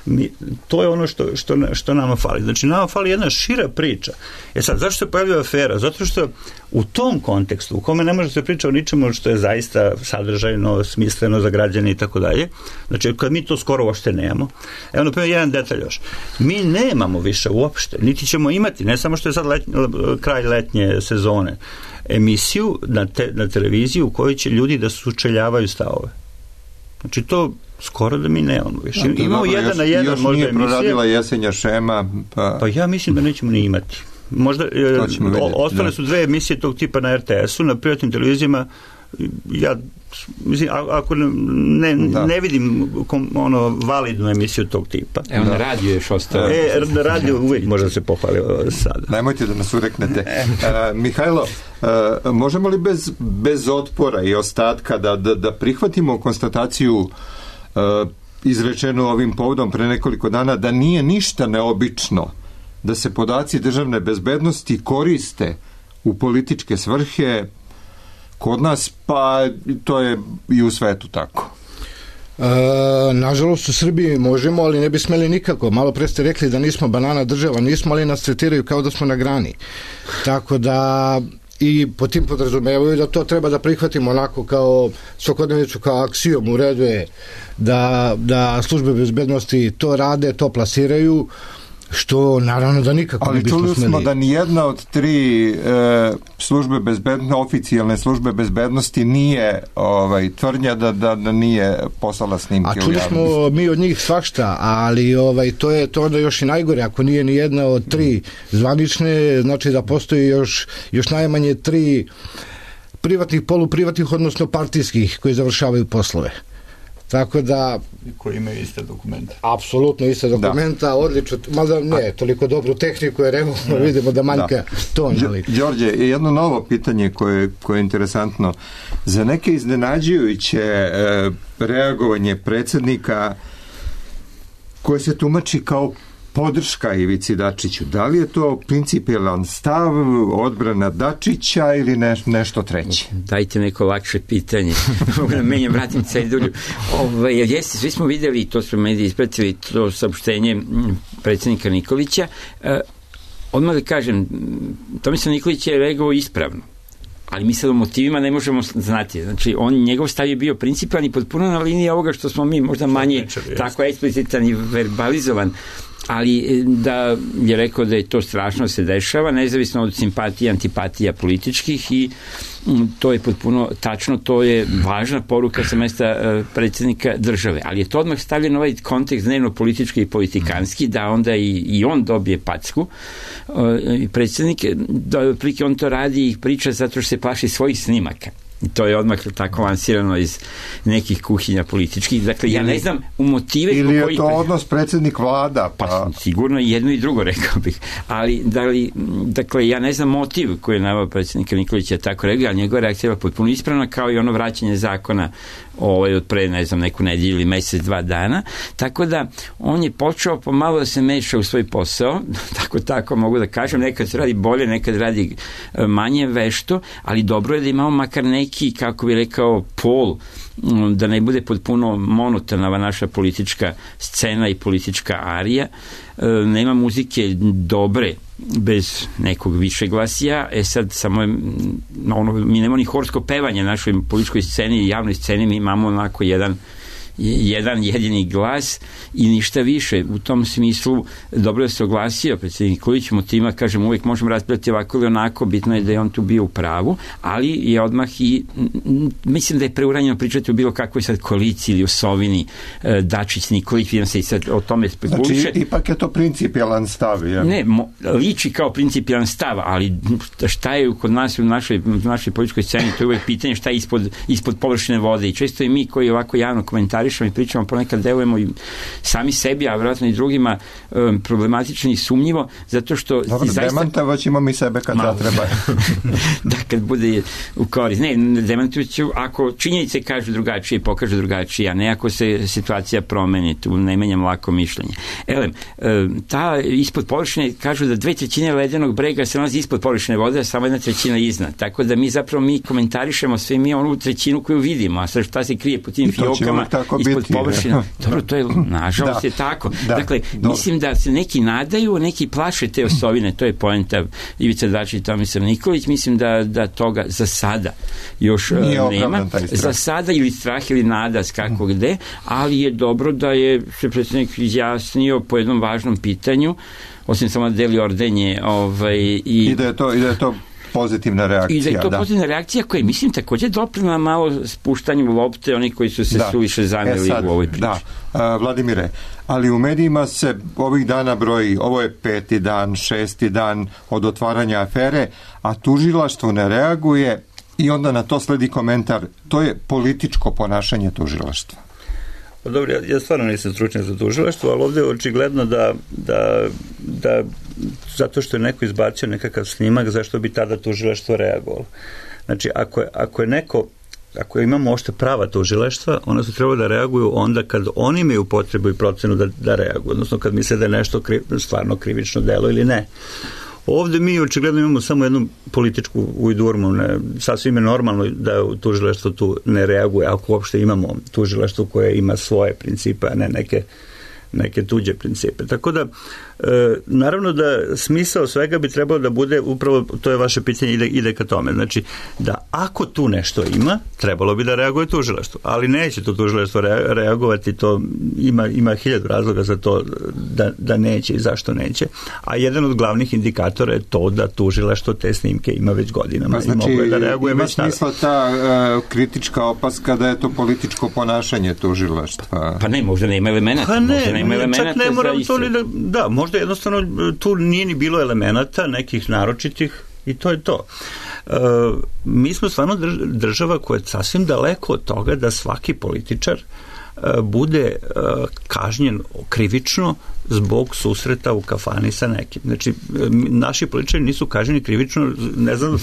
Mi, to je ono što, što, što nama fali. Znači, nama fali jedna šira priča. E sad, zašto se pojavljuje afera? Zato što u tom kontekstu, u kome ne može se priča o ničemu što je zaista sadržajno, smisleno za građane i tako dalje, znači, kad mi to skoro uopšte nemamo, evo, na primjer, jedan detalj još. Mi nemamo više uopšte, niti ćemo imati, ne samo što je sad letnje, kraj letnje sezone, emisiju na, te, na televiziju u kojoj će ljudi da sučeljavaju stavove. Znači, to skoro da mi nemamo više. Da, imamo dobro, jedan još, na jedan još možda nije emisije. Proradila jesenja šema. Pa... pa ja mislim da nećemo ni imati. Možda, o, ostale su dve emisije tog tipa na er te esu, na privatnim televizijama. Ja mislim, ako ne, ne vidim kom, ono, validnu emisiju tog tipa. Evo da. Na radiju još ostao. E, na radiju uvijek možda se pohvali sada. Nemojte da nas ureknete. uh, Mihajlo, uh, možemo li bez, bez otpora i ostatka da, da, da prihvatimo konstataciju uh, izrečenu ovim povodom pre nekoliko dana da nije ništa neobično da se podaci državne bezbednosti koriste u političke svrhe kod nas, pa to je i u svetu tako. E, nažalost u Srbiji možemo, ali ne bi smeli nikako. Malo pre ste rekli da nismo banana država, nismo, ali nas tretiraju kao da smo na grani. Tako da i po tim podrazumevaju da to treba da prihvatimo onako kao svakodnevnicu, kao aksijom. U redu je da, da službe bezbednosti to rade, to plasiraju, što naravno da nikako ne bismo smeli. Ali čuli smo da nijedna od tri e, službe bezbednosti, oficijalne službe bezbednosti nije ovaj, tvrdnja da, da, da nije poslala snimke u javnost. A čuli smo mi od njih svašta, ali ovaj, to je to onda još i najgore. Ako nije ni jedna od tri zvanične, znači da postoji još, još najmanje tri privatnih, poluprivatnih, odnosno partijskih koji završavaju poslove. Tako da... Koji imaju iste dokumente. Apsolutno iste dokumenta, da. Odlično, mada ne, toliko dobru tehniku, jer evo da. Vidimo da manjka da. ton. Ali... Đorđe, jedno novo pitanje koje, koje je interesantno. Za neke iznenađujuće e, reagovanje predsjednika koje se tumači kao podrška Ivici Dačiću. Da li je to principijelan stav, odbrana Dačića ili ne, nešto treće? Dajte neko lakše pitanje. Mogu da menjam, vratim cedulju. Ove, jeste, svi smo videli, to smo mediji ispratili, to saopštenje predsjednika Nikolića. E, odmah da kažem, Tomislav Nikolić je reagovao ispravno. Ali mi sad o motivima ne možemo znati. Znači, on, njegov stav je bio principijalni i potpuno na liniji ovoga što smo mi možda manje tako eksplicitan i verbalizovan, ali da je rekao da je to strašno se dešava, nezavisno od simpatija, antipatija političkih i to je potpuno tačno, to je važna poruka sa mesta predsjednika države, ali je to odmah stavljeno ovaj kontekst dnevno politički i politikanski, da onda i, i on dobije packu. Predsjednik, da prike on to radi i priča zato što se plaši svojih snimaka. I to je odmah tako lansirano iz nekih kuhinja političkih. Dakle, ja ne znam u motive... Ili je to odnos predsjednik vlada? Pa... pa sigurno i jedno i drugo, rekao bih. Ali, da li, dakle, ja ne znam motiv koji je naveo predsjednika Nikolića tako rekao, ali njegova reakcija je potpuno ispravna, kao i ono vraćanje zakona ovaj, od pre, ne znam, neku nedjelju ili mesec, dva dana. Tako da, on je počeo pomalo da se meša u svoj posao, tako tako mogu da kažem, nekad se radi bolje, nekad radi manje vešto, ali dobro je da imamo makar neki, kako bi rekao, pol, da ne bude potpuno monotonava naša politička scena i politička arija. Nema muzike dobre bez nekog više glasija, e sad samo je, ono, mi nemamo ni horsko pevanje na našoj političkoj sceni i javnoj sceni, mi imamo onako jedan jedan jedini glas i ništa više. U tom smislu dobro da se oglasio predsjednik Nikolić, motima, kažem, uvijek možemo raspravljati ovako ili onako, bitno je da je on tu bio u pravu, ali je odmah i mislim da je preuranjeno pričati o bilo kakvoj sad koaliciji ili osovini Dačić, Nikolić, vidim se i sad o tome spekuliše. Znači, ipak je to principijalan stav, ja? Ne, mo, liči kao principijalan stav, ali šta je kod nas u našoj, u našoj političkoj sceni, to je uvijek pitanje šta je ispod, ispod površine vode i često i mi koji ovako javno komentarišemo i pričamo, ponekad delujemo i sami sebi, a vjerojatno i drugima um, problematično i sumnjivo, zato što... Dobro, zaista... demantovat ćemo mi sebe kad da treba. Da, kad bude u korist. Ne, demantovat ću, ako činjenice kažu drugačije, pokažu drugačije, a ne ako se situacija promeni, tu ne menjam lako mišljenje. Elem, ta ispod površine, kažu da dve trećine ledenog brega se nalazi ispod površine vode, a samo jedna trećina iznad. Tako da mi zapravo mi komentarišemo sve mi onu trećinu koju vidimo, a sad šta se krije po tim fiokama ispod površina. Dobro, to je, nažalost, je tako. Da, dakle, dobro. Mislim da se neki nadaju, neki plaše te osovine, to je poenta Ivica Dačić i Tomislav Nikolić, mislim da, da toga za sada još nije nema. Za sada ili strah ili nada, kako gde, ali je dobro da je se predsjednik izjasnio po jednom važnom pitanju, osim samo da deli ordenje ovaj, i... I da je to, i da je to pozitivna reakcija. I da je to da. pozitivna reakcija koja je, mislim, također doprina malo spuštanju lopte, oni koji su se da. suviše zameli e sad, u ovoj priči. Da, A, Vladimire, ali u medijima se ovih dana broji, ovo je peti dan, šesti dan od otvaranja afere, a tužilaštvo ne reaguje i onda na to sledi komentar, to je političko ponašanje tužilaštva. Pa dobro, ja, ja stvarno nisam stručnjak za tužilaštvo, ali ovdje je očigledno da, da, da zato što je neko izbacio nekakav snimak, zašto bi tada tužilaštvo reagovalo. Znači, ako je, ako je neko, ako imamo ošte prava tužilaštva, ona su trebali da reaguju onda kad oni imaju potrebu i procenu da, da reaguju, odnosno kad misle da je nešto kriv, stvarno krivično delo ili ne. Ovdje mi očigledno imamo samo jednu političku ujdurmu, ne, sasvim je normalno da tužilaštvo tu ne reaguje, ako uopšte imamo tužilaštvo koje ima svoje principe, a ne neke, neke tuđe principe. Tako da, e, naravno da smisao svega bi trebalo da bude, upravo to je vaše pitanje, ide, ide ka tome. Znači, da ako tu nešto ima, trebalo bi da reaguje tužilaštvo, ali neće to tužilaštvo reagovati, to ima, ima hiljadu razloga za to da, da neće i zašto neće, a jedan od glavnih indikatora je to da tužilaštvo te snimke ima već godinama. Pa znači, i moglo je da reaguje ima već smisla ta uh, kritička opaska da je to političko ponašanje tužilaštva? Pa ne, možda nema elemenata. Pa ne, nema čak ne mora to ni da, da, možda jednostavno tu nije ni bilo elemenata nekih naročitih i to je to. E, mi smo stvarno država koja je sasvim daleko od toga da svaki političar e, bude e, kažnjen krivično zbog susreta u kafani sa nekim. Znači, naši političari nisu kažnjeni krivično, ne znam,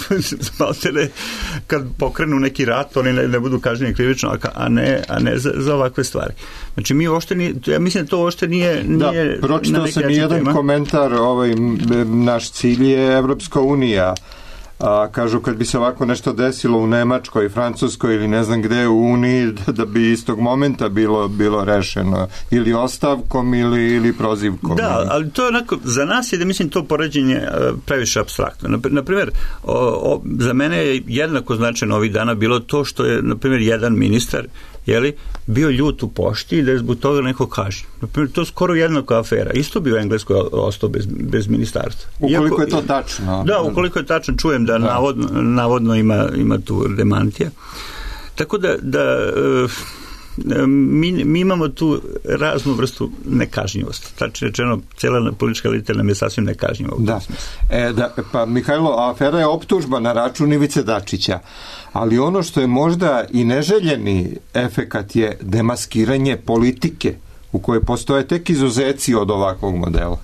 ne, kad pokrenu neki rat, oni ne, ne budu kažnjeni krivično, a ne, a ne za, za ovakve stvari. Znači, mi uopšte nije, ja mislim da to uopšte nije, nije da, pročitao sam jedan tema. Komentar, ovaj, naš cilj je Evropska unija. A, kažu kad bi se ovako nešto desilo u Nemačkoj, Francuskoj ili ne znam gde u Uniji, da, da bi istog momenta bilo, bilo rešeno ili ostavkom ili, ili prozivkom. Da, ali to je onako, za nas je da mislim to poređenje previše apstraktno. Na primjer, o, o, za mene je jednako značajno ovih dana bilo to što je, na primjer, jedan ministar jeli, bio ljut u pošti i da je zbog toga neko kažnjen. Naprimjer, to je skoro jednaka afera. Isto bi u Engleskoj ostao bez, bez ministarstva. Ukoliko Iako, je to tačno. Da, ukoliko je tačno, čujem da, da. Navodno, navodno ima, ima tu demantija. Tako da, da mi, mi imamo tu raznu vrstu nekažnjivosti. Tačno rečeno, cijela politička elita nam je sasvim nekažnjiva. Da. E, da, pa Mihajlo, afera je optužba na račun Ivice Dačića, ali ono što je možda i neželjeni efekat je demaskiranje politike u kojoj postoje tek izuzeci od ovakvog modela.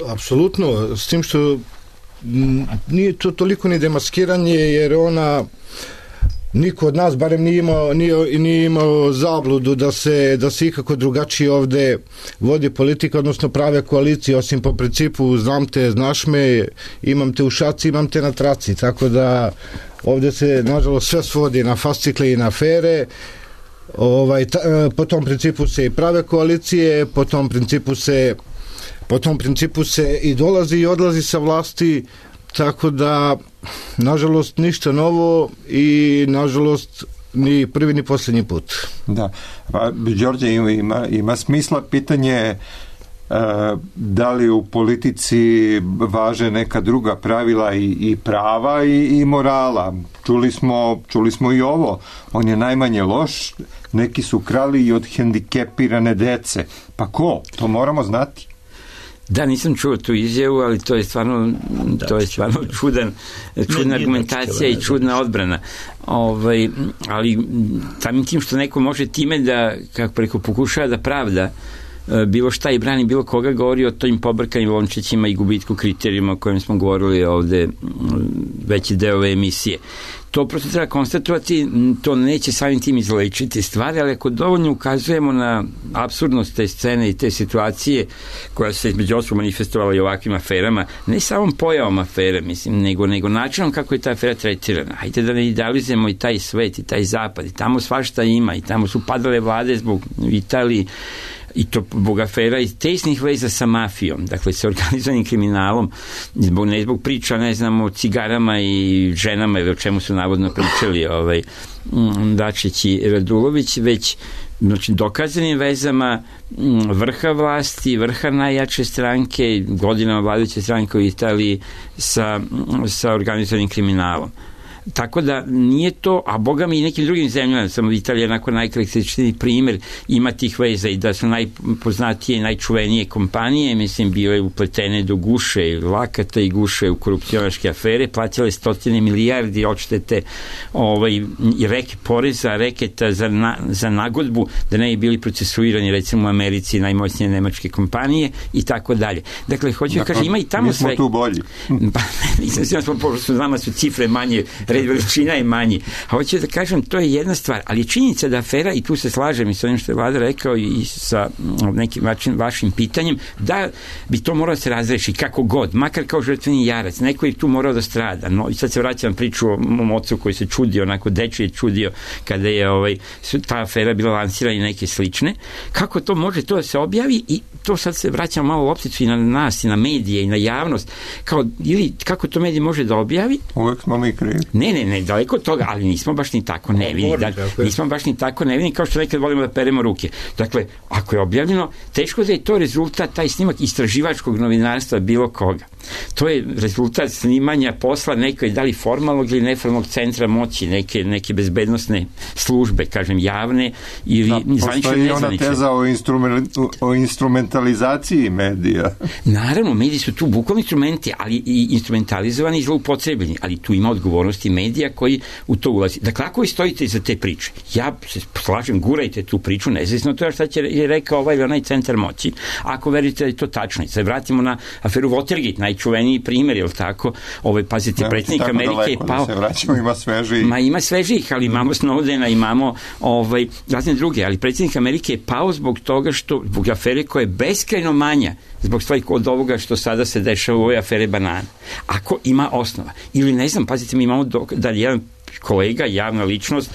Apsolutno, s tim što nije to toliko ni demaskiranje, jer ona niko od nas barem nije imao, nije, nije imao zabludu da se, da se ikako drugačije ovde vodi politika, odnosno prave koalicije, osim po principu znam te, znaš me, imam te u šaci, imam te na traci, tako da ovde se nažalost sve svodi na fascikle i na afere. Ovaj, ta, po tom principu se i prave koalicije, po tom principu se po tom principu se i dolazi i odlazi sa vlasti, tako da nažalost ništa novo i nažalost ni prvi ni posljednji put. Da, pa Đorđe, ima, ima smisla pitanje uh, da li u politici važe neka druga pravila i, i prava i, i morala. Čuli smo, čuli smo i ovo, on je najmanje loš, neki su krali i od hendikepirane dece. Pa ko? To moramo znati. Da, nisam čuo tu izjavu, ali to je stvarno, da, to je stvarno čudan, čudna argumentacija i čudna odbrana. Ovaj, ali samim tim što neko može time da, kako preko pokušava da pravda bilo šta i brani bilo koga, govori o tojim pobrkanim lončićima i gubitku kriterijuma o kojem smo govorili ovde veći deo ove emisije. To prosto treba konstatovati, to neće samim tim izlečiti stvari, ali ako dovoljno ukazujemo na apsurdnost te scene i te situacije koja se između ostalog manifestovala i ovakvim aferama, ne samom pojavom afere, mislim, nego, nego načinom kako je ta afera tretirana. Hajde da ne idealizujemo i taj svet i taj zapad, i tamo svašta ima, i tamo su padale vlade zbog Italiji, i to zbog afera i tesnih veza sa mafijom, dakle sa organizovanim kriminalom, zbog, ne zbog priča, ne znam, o cigarama i ženama ili o čemu su navodno pričali ovaj, Dačić i Radulović, već znači, dokazanim vezama vrha vlasti, vrha najjače stranke, godinama vladajuće stranke u Italiji sa, sa organizovanim kriminalom. Tako da nije to, a boga mi i nekim drugim zemljama, samo Italija je onako najkarakterističniji primjer ima tih veza i da su najpoznatije i najčuvenije kompanije, mislim, bile upletene do guše i lakata i guše u korupcionaške afere, plaćale stotine milijardi odštete ovaj, i reke poreza, reketa za, na, za nagodbu, da ne bi bili procesuirani recimo u Americi najmoćnije nemačke kompanije i tako dalje. Dakle, hoću da kažem, ima i tamo sve... Mi smo tu bolji. Pa, nisam sigurno smo, pošto nama su cifre manje, red veličina je manji. A hoću da kažem, to je jedna stvar, ali činjenica da afera, i tu se slažem i sa onim što je Vlada rekao i sa nekim vašim, vašim pitanjem, da bi to moralo da se razreši kako god, makar kao žrtveni jarac, neko je tu morao da strada. No, i sad se vraćam priču o mom ocu koji se čudio, onako dečije čudio kada je ovaj, ta afera bila lansirana i neke slične. Kako to može to da se objavi i to sad se vraća malo lopticu i na nas, i na medije, i na javnost. Kao, ili kako to medij može da objavi? Uvek smo mi krivi. Ne, ne, ne, daleko od toga, ali nismo baš ni tako nevini. Da, nismo baš ni tako nevini kao što nekad volimo da peremo ruke. Dakle, ako je objavljeno, teško da je to rezultat, taj snimak istraživačkog novinarstva bilo koga. To je rezultat snimanja posla nekoj, da li formalnog ili neformalnog centra moći, neke, neke bezbednostne službe, kažem, javne ili da, zvanične ili nezvanične. Postoji ona teza o, instrument, o instrumentalizaciji medija. Naravno, mediji su tu bukvalni instrumenti, ali i instrumentalizovani i zloupotrebljeni, ali tu ima odgovornosti medija koji u to ulazi. Dakle, ako vi stojite iza te priče, ja se slažem, gurajte tu priču, nezavisno to je šta će je rekao ovaj ili onaj centar moći, ako verite da je to tačno. I sad vratimo na aferu Watergate, najčuveniji primjer, je li tako? Ovaj, pazite, predsjednik Amerike je pao... Se vraćamo, ima svežih. Ma ima svežih, ali imamo Snowdena, imamo ovaj, razne druge, ali predsjednik Amerike je pao zbog toga što, zbog afere koja je beskrajno manja, zbog stvari od ovoga što sada se dešava u ovoj afere banana. Ako ima osnova. Ili ne znam, pazite, mi imamo dok, da jedan kolega, javna ličnost,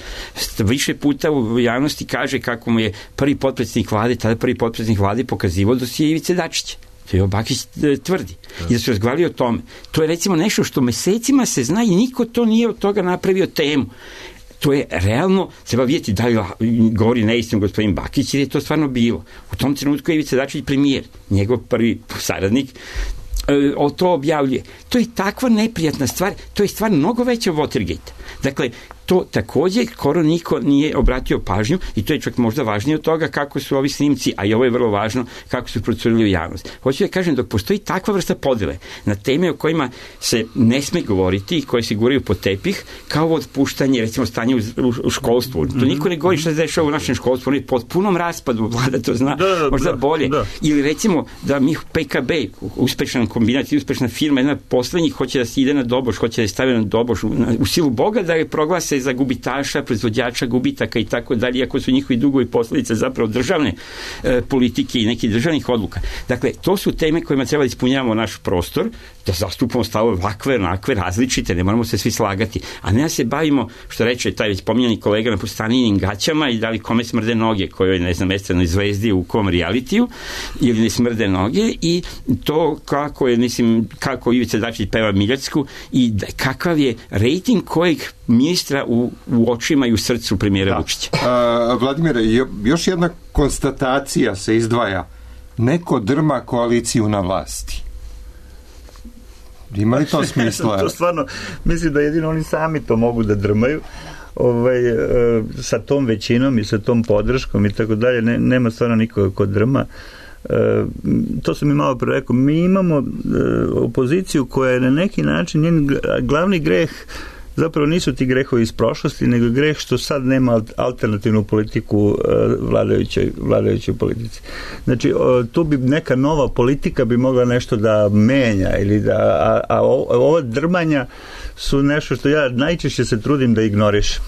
više puta u javnosti kaže kako mu je prvi potpredsjednik vlade, tada prvi potpredsjednik vlade pokazivao dosije Ivice Dačića. To je Bakić tvrdi. I da su razgovarali o tome. To je recimo nešto što mesecima se zna i niko to nije od toga napravio temu. To je realno, treba vidjeti da li govori neistinu gospodin Bakić ili je to stvarno bilo. U tom trenutku je Ivica Dačić premijer, njegov prvi saradnik, o to objavljuje. To je takva neprijatna stvar, to je stvar mnogo veća od Watergate. Dakle, to takođe skoro niko nije obratio pažnju i to je čak možda važnije od toga kako su ovi snimci, a i ovo je vrlo važno, kako su procurili u javnost. Hoću da kažem, dok postoji takva vrsta podele na teme o kojima se ne sme govoriti i koje se guraju pod tepih, kao otpuštanje, recimo stanje u, u, u školstvu. To niko ne govori šta se dešava u našem školstvu, ono je pod punom raspadu, vlada to zna, da, da, možda da, bolje. Da. Ili recimo da mi P K B, uspešan kombinat i uspešna firma, jedna poslednjih hoće da se ide na doboš, hoće da se stavi na doboš u, u silu Boga, da je proglase za gubitaša, proizvođača gubitaka i tako dalje, iako su njihovi dugovi posledice zapravo državne e, politike i nekih državnih odluka. Dakle, to su teme kojima treba da ispunjavamo naš prostor, da zastupamo stavove ovakve, onakve, različite, ne moramo se svi slagati, a ne da se bavimo, što reče taj već pominjani kolega, na postaninim gaćama i da li kome smrde noge, kojoj, ne znam, estranoj zvezdi u kom realitiju, ili ne smrde noge, i to kako je, mislim, kako Ivica Dačić peva Miljacku i da, kakav je rejting kojeg ministra u, u očima i u srcu premijera da. Vučića. A, Vladimire, još jedna konstatacija se izdvaja. Neko drma koaliciju na vlasti. Ima li to smisla? To stvarno, mislim da jedino oni sami to mogu da drmaju. Ovaj, e, sa tom većinom i sa tom podrškom i tako dalje, ne, nema stvarno nikoga ko drma. E, to sam i malo pre rekao, mi imamo e, opoziciju koja je na neki način, njen glavni greh zapravo nisu ti grehovi iz prošlosti, nego greh što sad nema alternativnu politiku vladajućoj, vladajućoj politici. Znači, tu bi neka nova politika bi mogla nešto da menja, ili da, a, a ova drmanja su nešto što ja najčešće se trudim da ignorišem.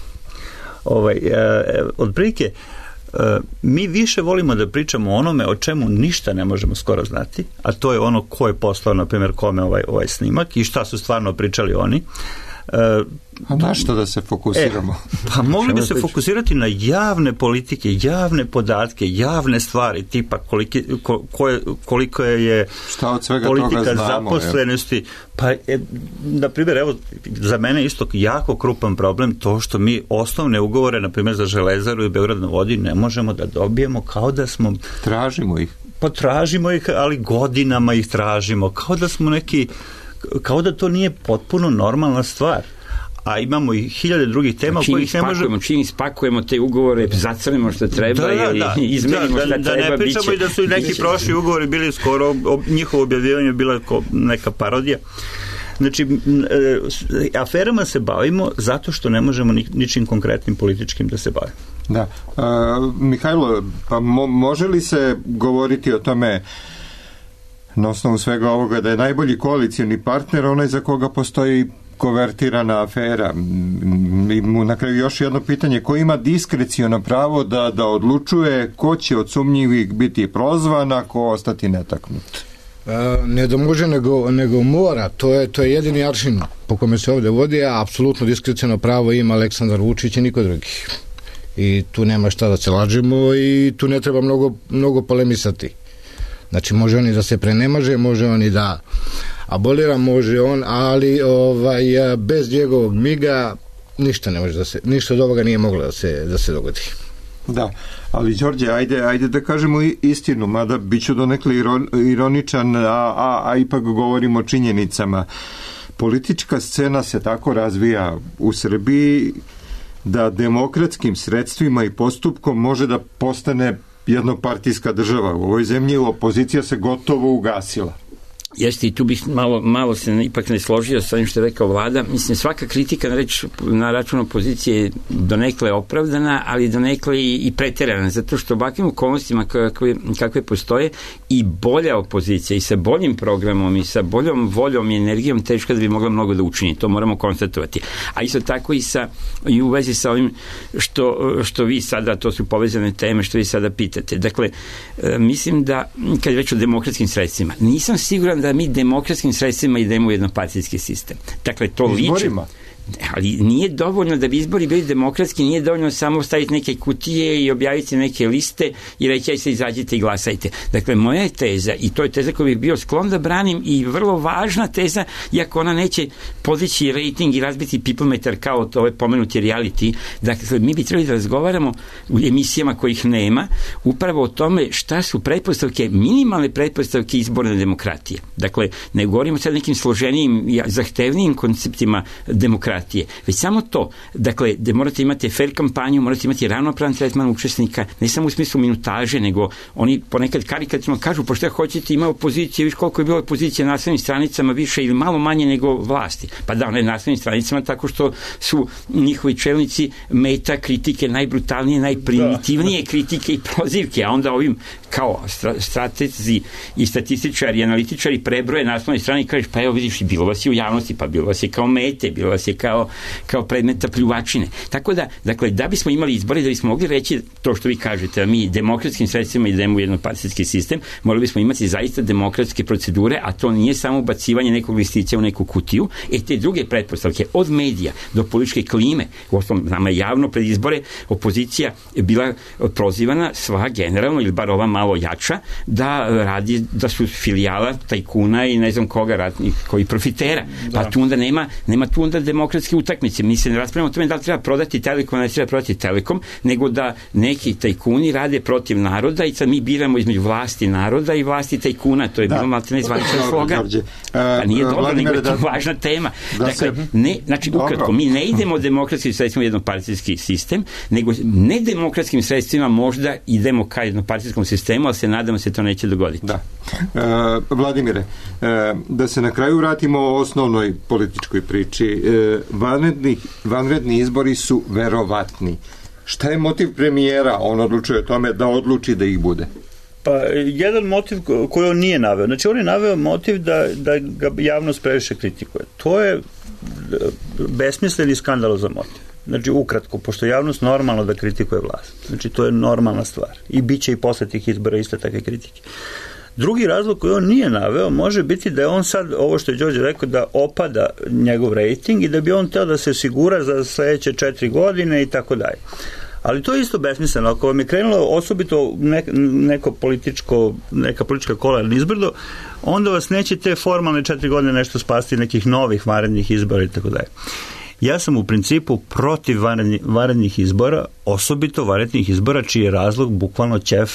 Ovaj, e, od prilike, e, mi više volimo da pričamo o onome o čemu ništa ne možemo skoro znati, a to je ono ko je poslao, na primjer, kome ovaj, ovaj snimak i šta su stvarno pričali oni. A na što da se fokusiramo? E, pa mogli bi se fokusirati na javne politike, javne podatke, javne stvari, tipa koliki, ko, koje, koliko je šta od svega politika toga znamo, zaposlenosti. Je. Pa, e, na primjer, evo, za mene isto jako krupan problem to što mi osnovne ugovore, na primjer za Železaru i Beograd na vodi, ne možemo da dobijemo, kao da smo... Tražimo ih. Pa tražimo ih, ali godinama ih tražimo, kao da smo neki... kao da to nije potpuno normalna stvar. A imamo i hiljade drugih tema čim kojih ne možemo... Čim ispakujemo te ugovore, zacrnimo što treba, da, da, da. izmenimo da, šta da, treba, da ne pričamo biće. I da su i neki prošli ugovori bili skoro, njihovo objavljivanje bila neka parodija. Znači, aferama se bavimo zato što ne možemo ničim konkretnim političkim da se bavimo. Da. Uh, Mihajlo, pa mo, može li se govoriti o tome na osnovu svega ovoga da je najbolji koalicijni partner onaj za koga postoji kovertirana afera? I na kraju još jedno pitanje, ko ima diskrecijono pravo da, da odlučuje ko će od sumnjivih biti prozvan, a ko ostati netaknut? E, ne da može, nego, nego mora. To je, to je jedini aršin po kome se ovde vodi, a apsolutno diskrecijono pravo ima Aleksandar Vučić i niko drugi. I tu nema šta da se lažemo i tu ne treba mnogo, mnogo polemisati. Znači, može on i da se prenemaže, može on i da abolira, može on, ali ovaj, bez njegovog miga ništa ne može da se, ništa od ovoga nije moglo da se, da se dogodi. Da, ali Đorđe, ajde, ajde da kažemo istinu, mada bit ću donekle ironičan, a, a, a ipak govorimo o činjenicama. Politička scena se tako razvija u Srbiji da demokratskim sredstvima i postupkom može da postane jednopartijska država. U ovoj zemlji opozicija se gotovo ugasila. Jeste, i tu bih malo, malo se ipak ne složio sa ovim što je rekao Vlada. Mislim, svaka kritika na, reč, na račun opozicije je donekle opravdana, ali donekle i, i preterana, zato što u ovakvim okolnostima kakve, kakve postoje i bolja opozicija i sa boljim programom i sa boljom voljom i energijom teško da bi mogla mnogo da učini. To moramo konstatovati. A isto tako i, sa, i u vezi sa ovim što, što vi sada, to su povezane teme što vi sada pitate. Dakle, mislim da, kad je već o demokratskim sredstvima, nisam siguran da mi demokratskim sredstvima idemo u jednopartijski sistem. Dakle, to liči... Izborima? Ali nije dovoljno da bi izbori bili demokratski, nije dovoljno samo staviti neke kutije i objaviti neke liste i reći aj se izađite i glasajte. Dakle, moja je teza, i to je teza koju bih bio sklon da branim i vrlo važna teza, iako ona neće podići rating i razbiti pipometar kao to ove pomenuti reality. Dakle, mi bi trebali da razgovaramo u emisijama kojih nema upravo o tome šta su pretpostavke, minimalne pretpostavke izborne demokratije. Dakle, ne govorimo sad nekim složenijim, zahtevnijim konceptima demokratije, demokratije, već samo to, dakle, da morate imati fair kampanju, morate imati ravnopravan tretman učesnika, ne samo u smislu minutaže, nego oni ponekad karikaturno kažu, pošto ja hoćete, ima opozicije, viš koliko je bilo opozicije na naslovnim stranicama više ili malo manje nego vlasti. Pa da, na naslovnim stranicama tako što su njihovi čelnici meta kritike najbrutalnije, najprimitivnije kritike i prozivke, a onda ovim kao stratezi i statističari i analitičari prebroje na naslovnoj strani i kažeš, pa evo vidiš, bilo vas je u javnosti, pa bilo vas je kao mete, bilo vas je kao, kao predmeta pljuvačine. Tako da, dakle, da bismo imali izbore, da bismo mogli reći to što vi kažete, da mi demokratskim sredstvima idemo u jednopartijski sistem, morali bismo imati zaista demokratske procedure, a to nije samo ubacivanje nekog listića u neku kutiju, e te druge pretpostavke, od medija do političke klime, u osnovom, nama javno pred izbore opozicija je bila prozivana sva generalno, ili bar ova malo jača, da radi, da su filijala tajkuna i ne znam koga ratnih, koji profitera. Pa da. tu onda nema, nema tu onda demokratske utakmice. Mi se ne raspravljamo o tome da li treba prodati Telekom, ne treba prodati Telekom, nego da neki tajkuni rade protiv naroda i sad mi biramo između vlasti naroda i vlasti tajkuna. To je da. bilo malo ne zvaničan slogan. Pa nije dobro, Vladimir, nego je to da, važna tema. Da dakle, se, ne, znači, ukratko, mi ne idemo demokratskim sredstvima u jednopartijski sistem, nego nedemokratskim sredstvima možda idemo ka jednopartijskom sistemu, ali se nadamo se to neće dogoditi. Da. E, Vladimire, e, da se na kraju vratimo o osnovnoj političkoj priči. E, vanredni, vanredni izbori su verovatni. Šta je motiv premijera? On odlučuje o tome da odluči da ih bude. Pa, jedan motiv koji on nije naveo. Znači, on je naveo motiv da, da ga javnost previše kritikuje. To je besmislen i skandalozan motiv. Znači, ukratko, pošto javnost normalno da kritikuje vlast. Znači, to je normalna stvar. I bit će i posle tih izbora iste takve kritike. Drugi razlog koji on nije naveo može biti da je on sad, ovo što je Đorđe rekao, da opada njegov rejting i da bi on teo da se osigura za sledeće četiri godine i tako dalje. Ali to je isto besmisleno. Ako vam je krenulo osobito neko političko, neka politička kola nizbrdo, onda vas neće te formalne četiri godine nešto spasti nekih novih vanrednih izbora i tako dalje. Ja sam u principu protiv vanrednih izbora, osobito vanrednih izbora čiji je razlog bukvalno ćef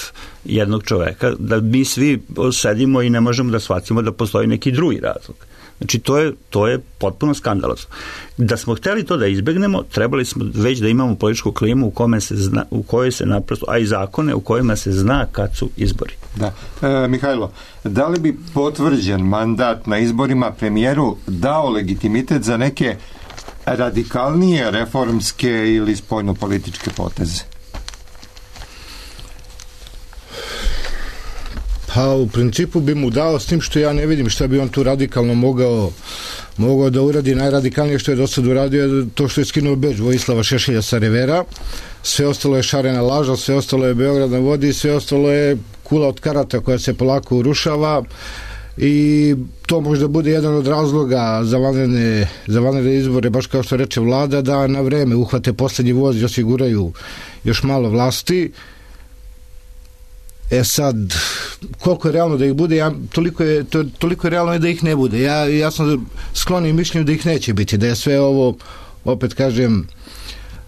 jednog čoveka, da mi svi sedimo i ne možemo da shvatimo da postoji neki drugi razlog. Znači, to je, to je potpuno skandalozno. Da smo hteli to da izbegnemo, trebali smo već da imamo političku klimu u, kome se zna, u kojoj se naprosto, a i zakone u kojima se zna kad su izbori. Da. E, Mihajlo, da li bi potvrđen mandat na izborima premijeru dao legitimitet za neke radikalnije reformske ili spoljnopolitičke poteze? Pa u principu bi mu dao, s tim što ja ne vidim šta bi on tu radikalno mogao mogao da uradi. Najradikalnije što je do sad uradio to što je skinuo bedž Vojislava Šešelja sa revera, sve ostalo je šarena laža, sve ostalo je Beograd na vodi, sve ostalo je kula od karata koja se polako urušava i to možda bude jedan od razloga za vanredne, za vanredne izbore, baš kao što reče vlada, da na vreme uhvate poslednji voz i osiguraju još malo vlasti. E sad, koliko je realno da ih bude, ja, toliko, je, to, toliko je realno da ih ne bude. Ja, ja sam sklonio mišljenju da ih neće biti, da je sve ovo, opet kažem,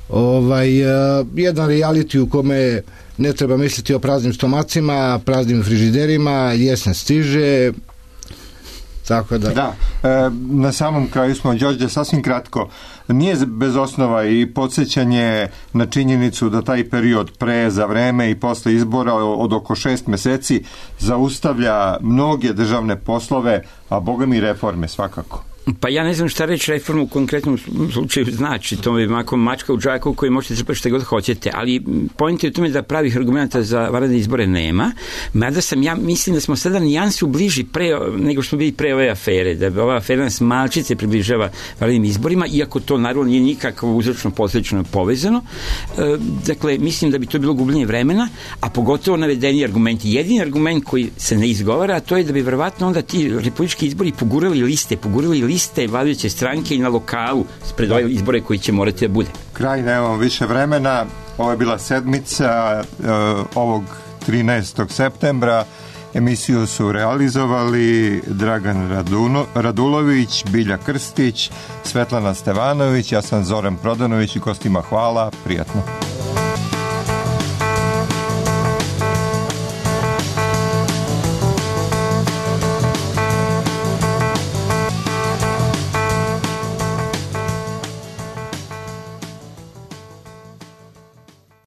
ovaj, uh, jedan reality u kome ne treba misliti o praznim stomacima, praznim frižiderima, jesen stiže, tako da... Da, e, na samom kraju smo, Đorđe, sasvim kratko, nije bez osnova i podsjećanje na činjenicu da taj period pre, za vreme i posle izbora od oko šest meseci zaustavlja mnoge državne poslove, a boga mi reforme svakako. Pa ja ne znam šta reći reformu u konkretnom slučaju znači, to je mako mačka u džaku koji možete trpati šta god hoćete, ali point je u tome da pravih argumenta za vanredne izbore nema, mada sam ja mislim da smo sada nijansu bliži pre, nego što smo bili pre ove afere, da ova afera nas malčice približava vanrednim izborima, iako to naravno nije nikako uzročno posljedično povezano. E, dakle, mislim da bi to bilo gubljenje vremena, a pogotovo navedeni argumenti. Jedini argument koji se ne izgovara, a to je da bi verovatno onda ti republički izbori pogurali liste, pogurali liste iste vladajuće stranke i na lokalu pred ove izbore koji će morati da bude. Kraj, nemamo više vremena. Ovo je bila sedmica uh, ovog trinaestog septembra. Emisiju su realizovali Dragan Raduno, Radulović, Bilja Krstić, Svetlana Stevanović, ja sam Zoran Prodanović i gostima hvala, prijatno.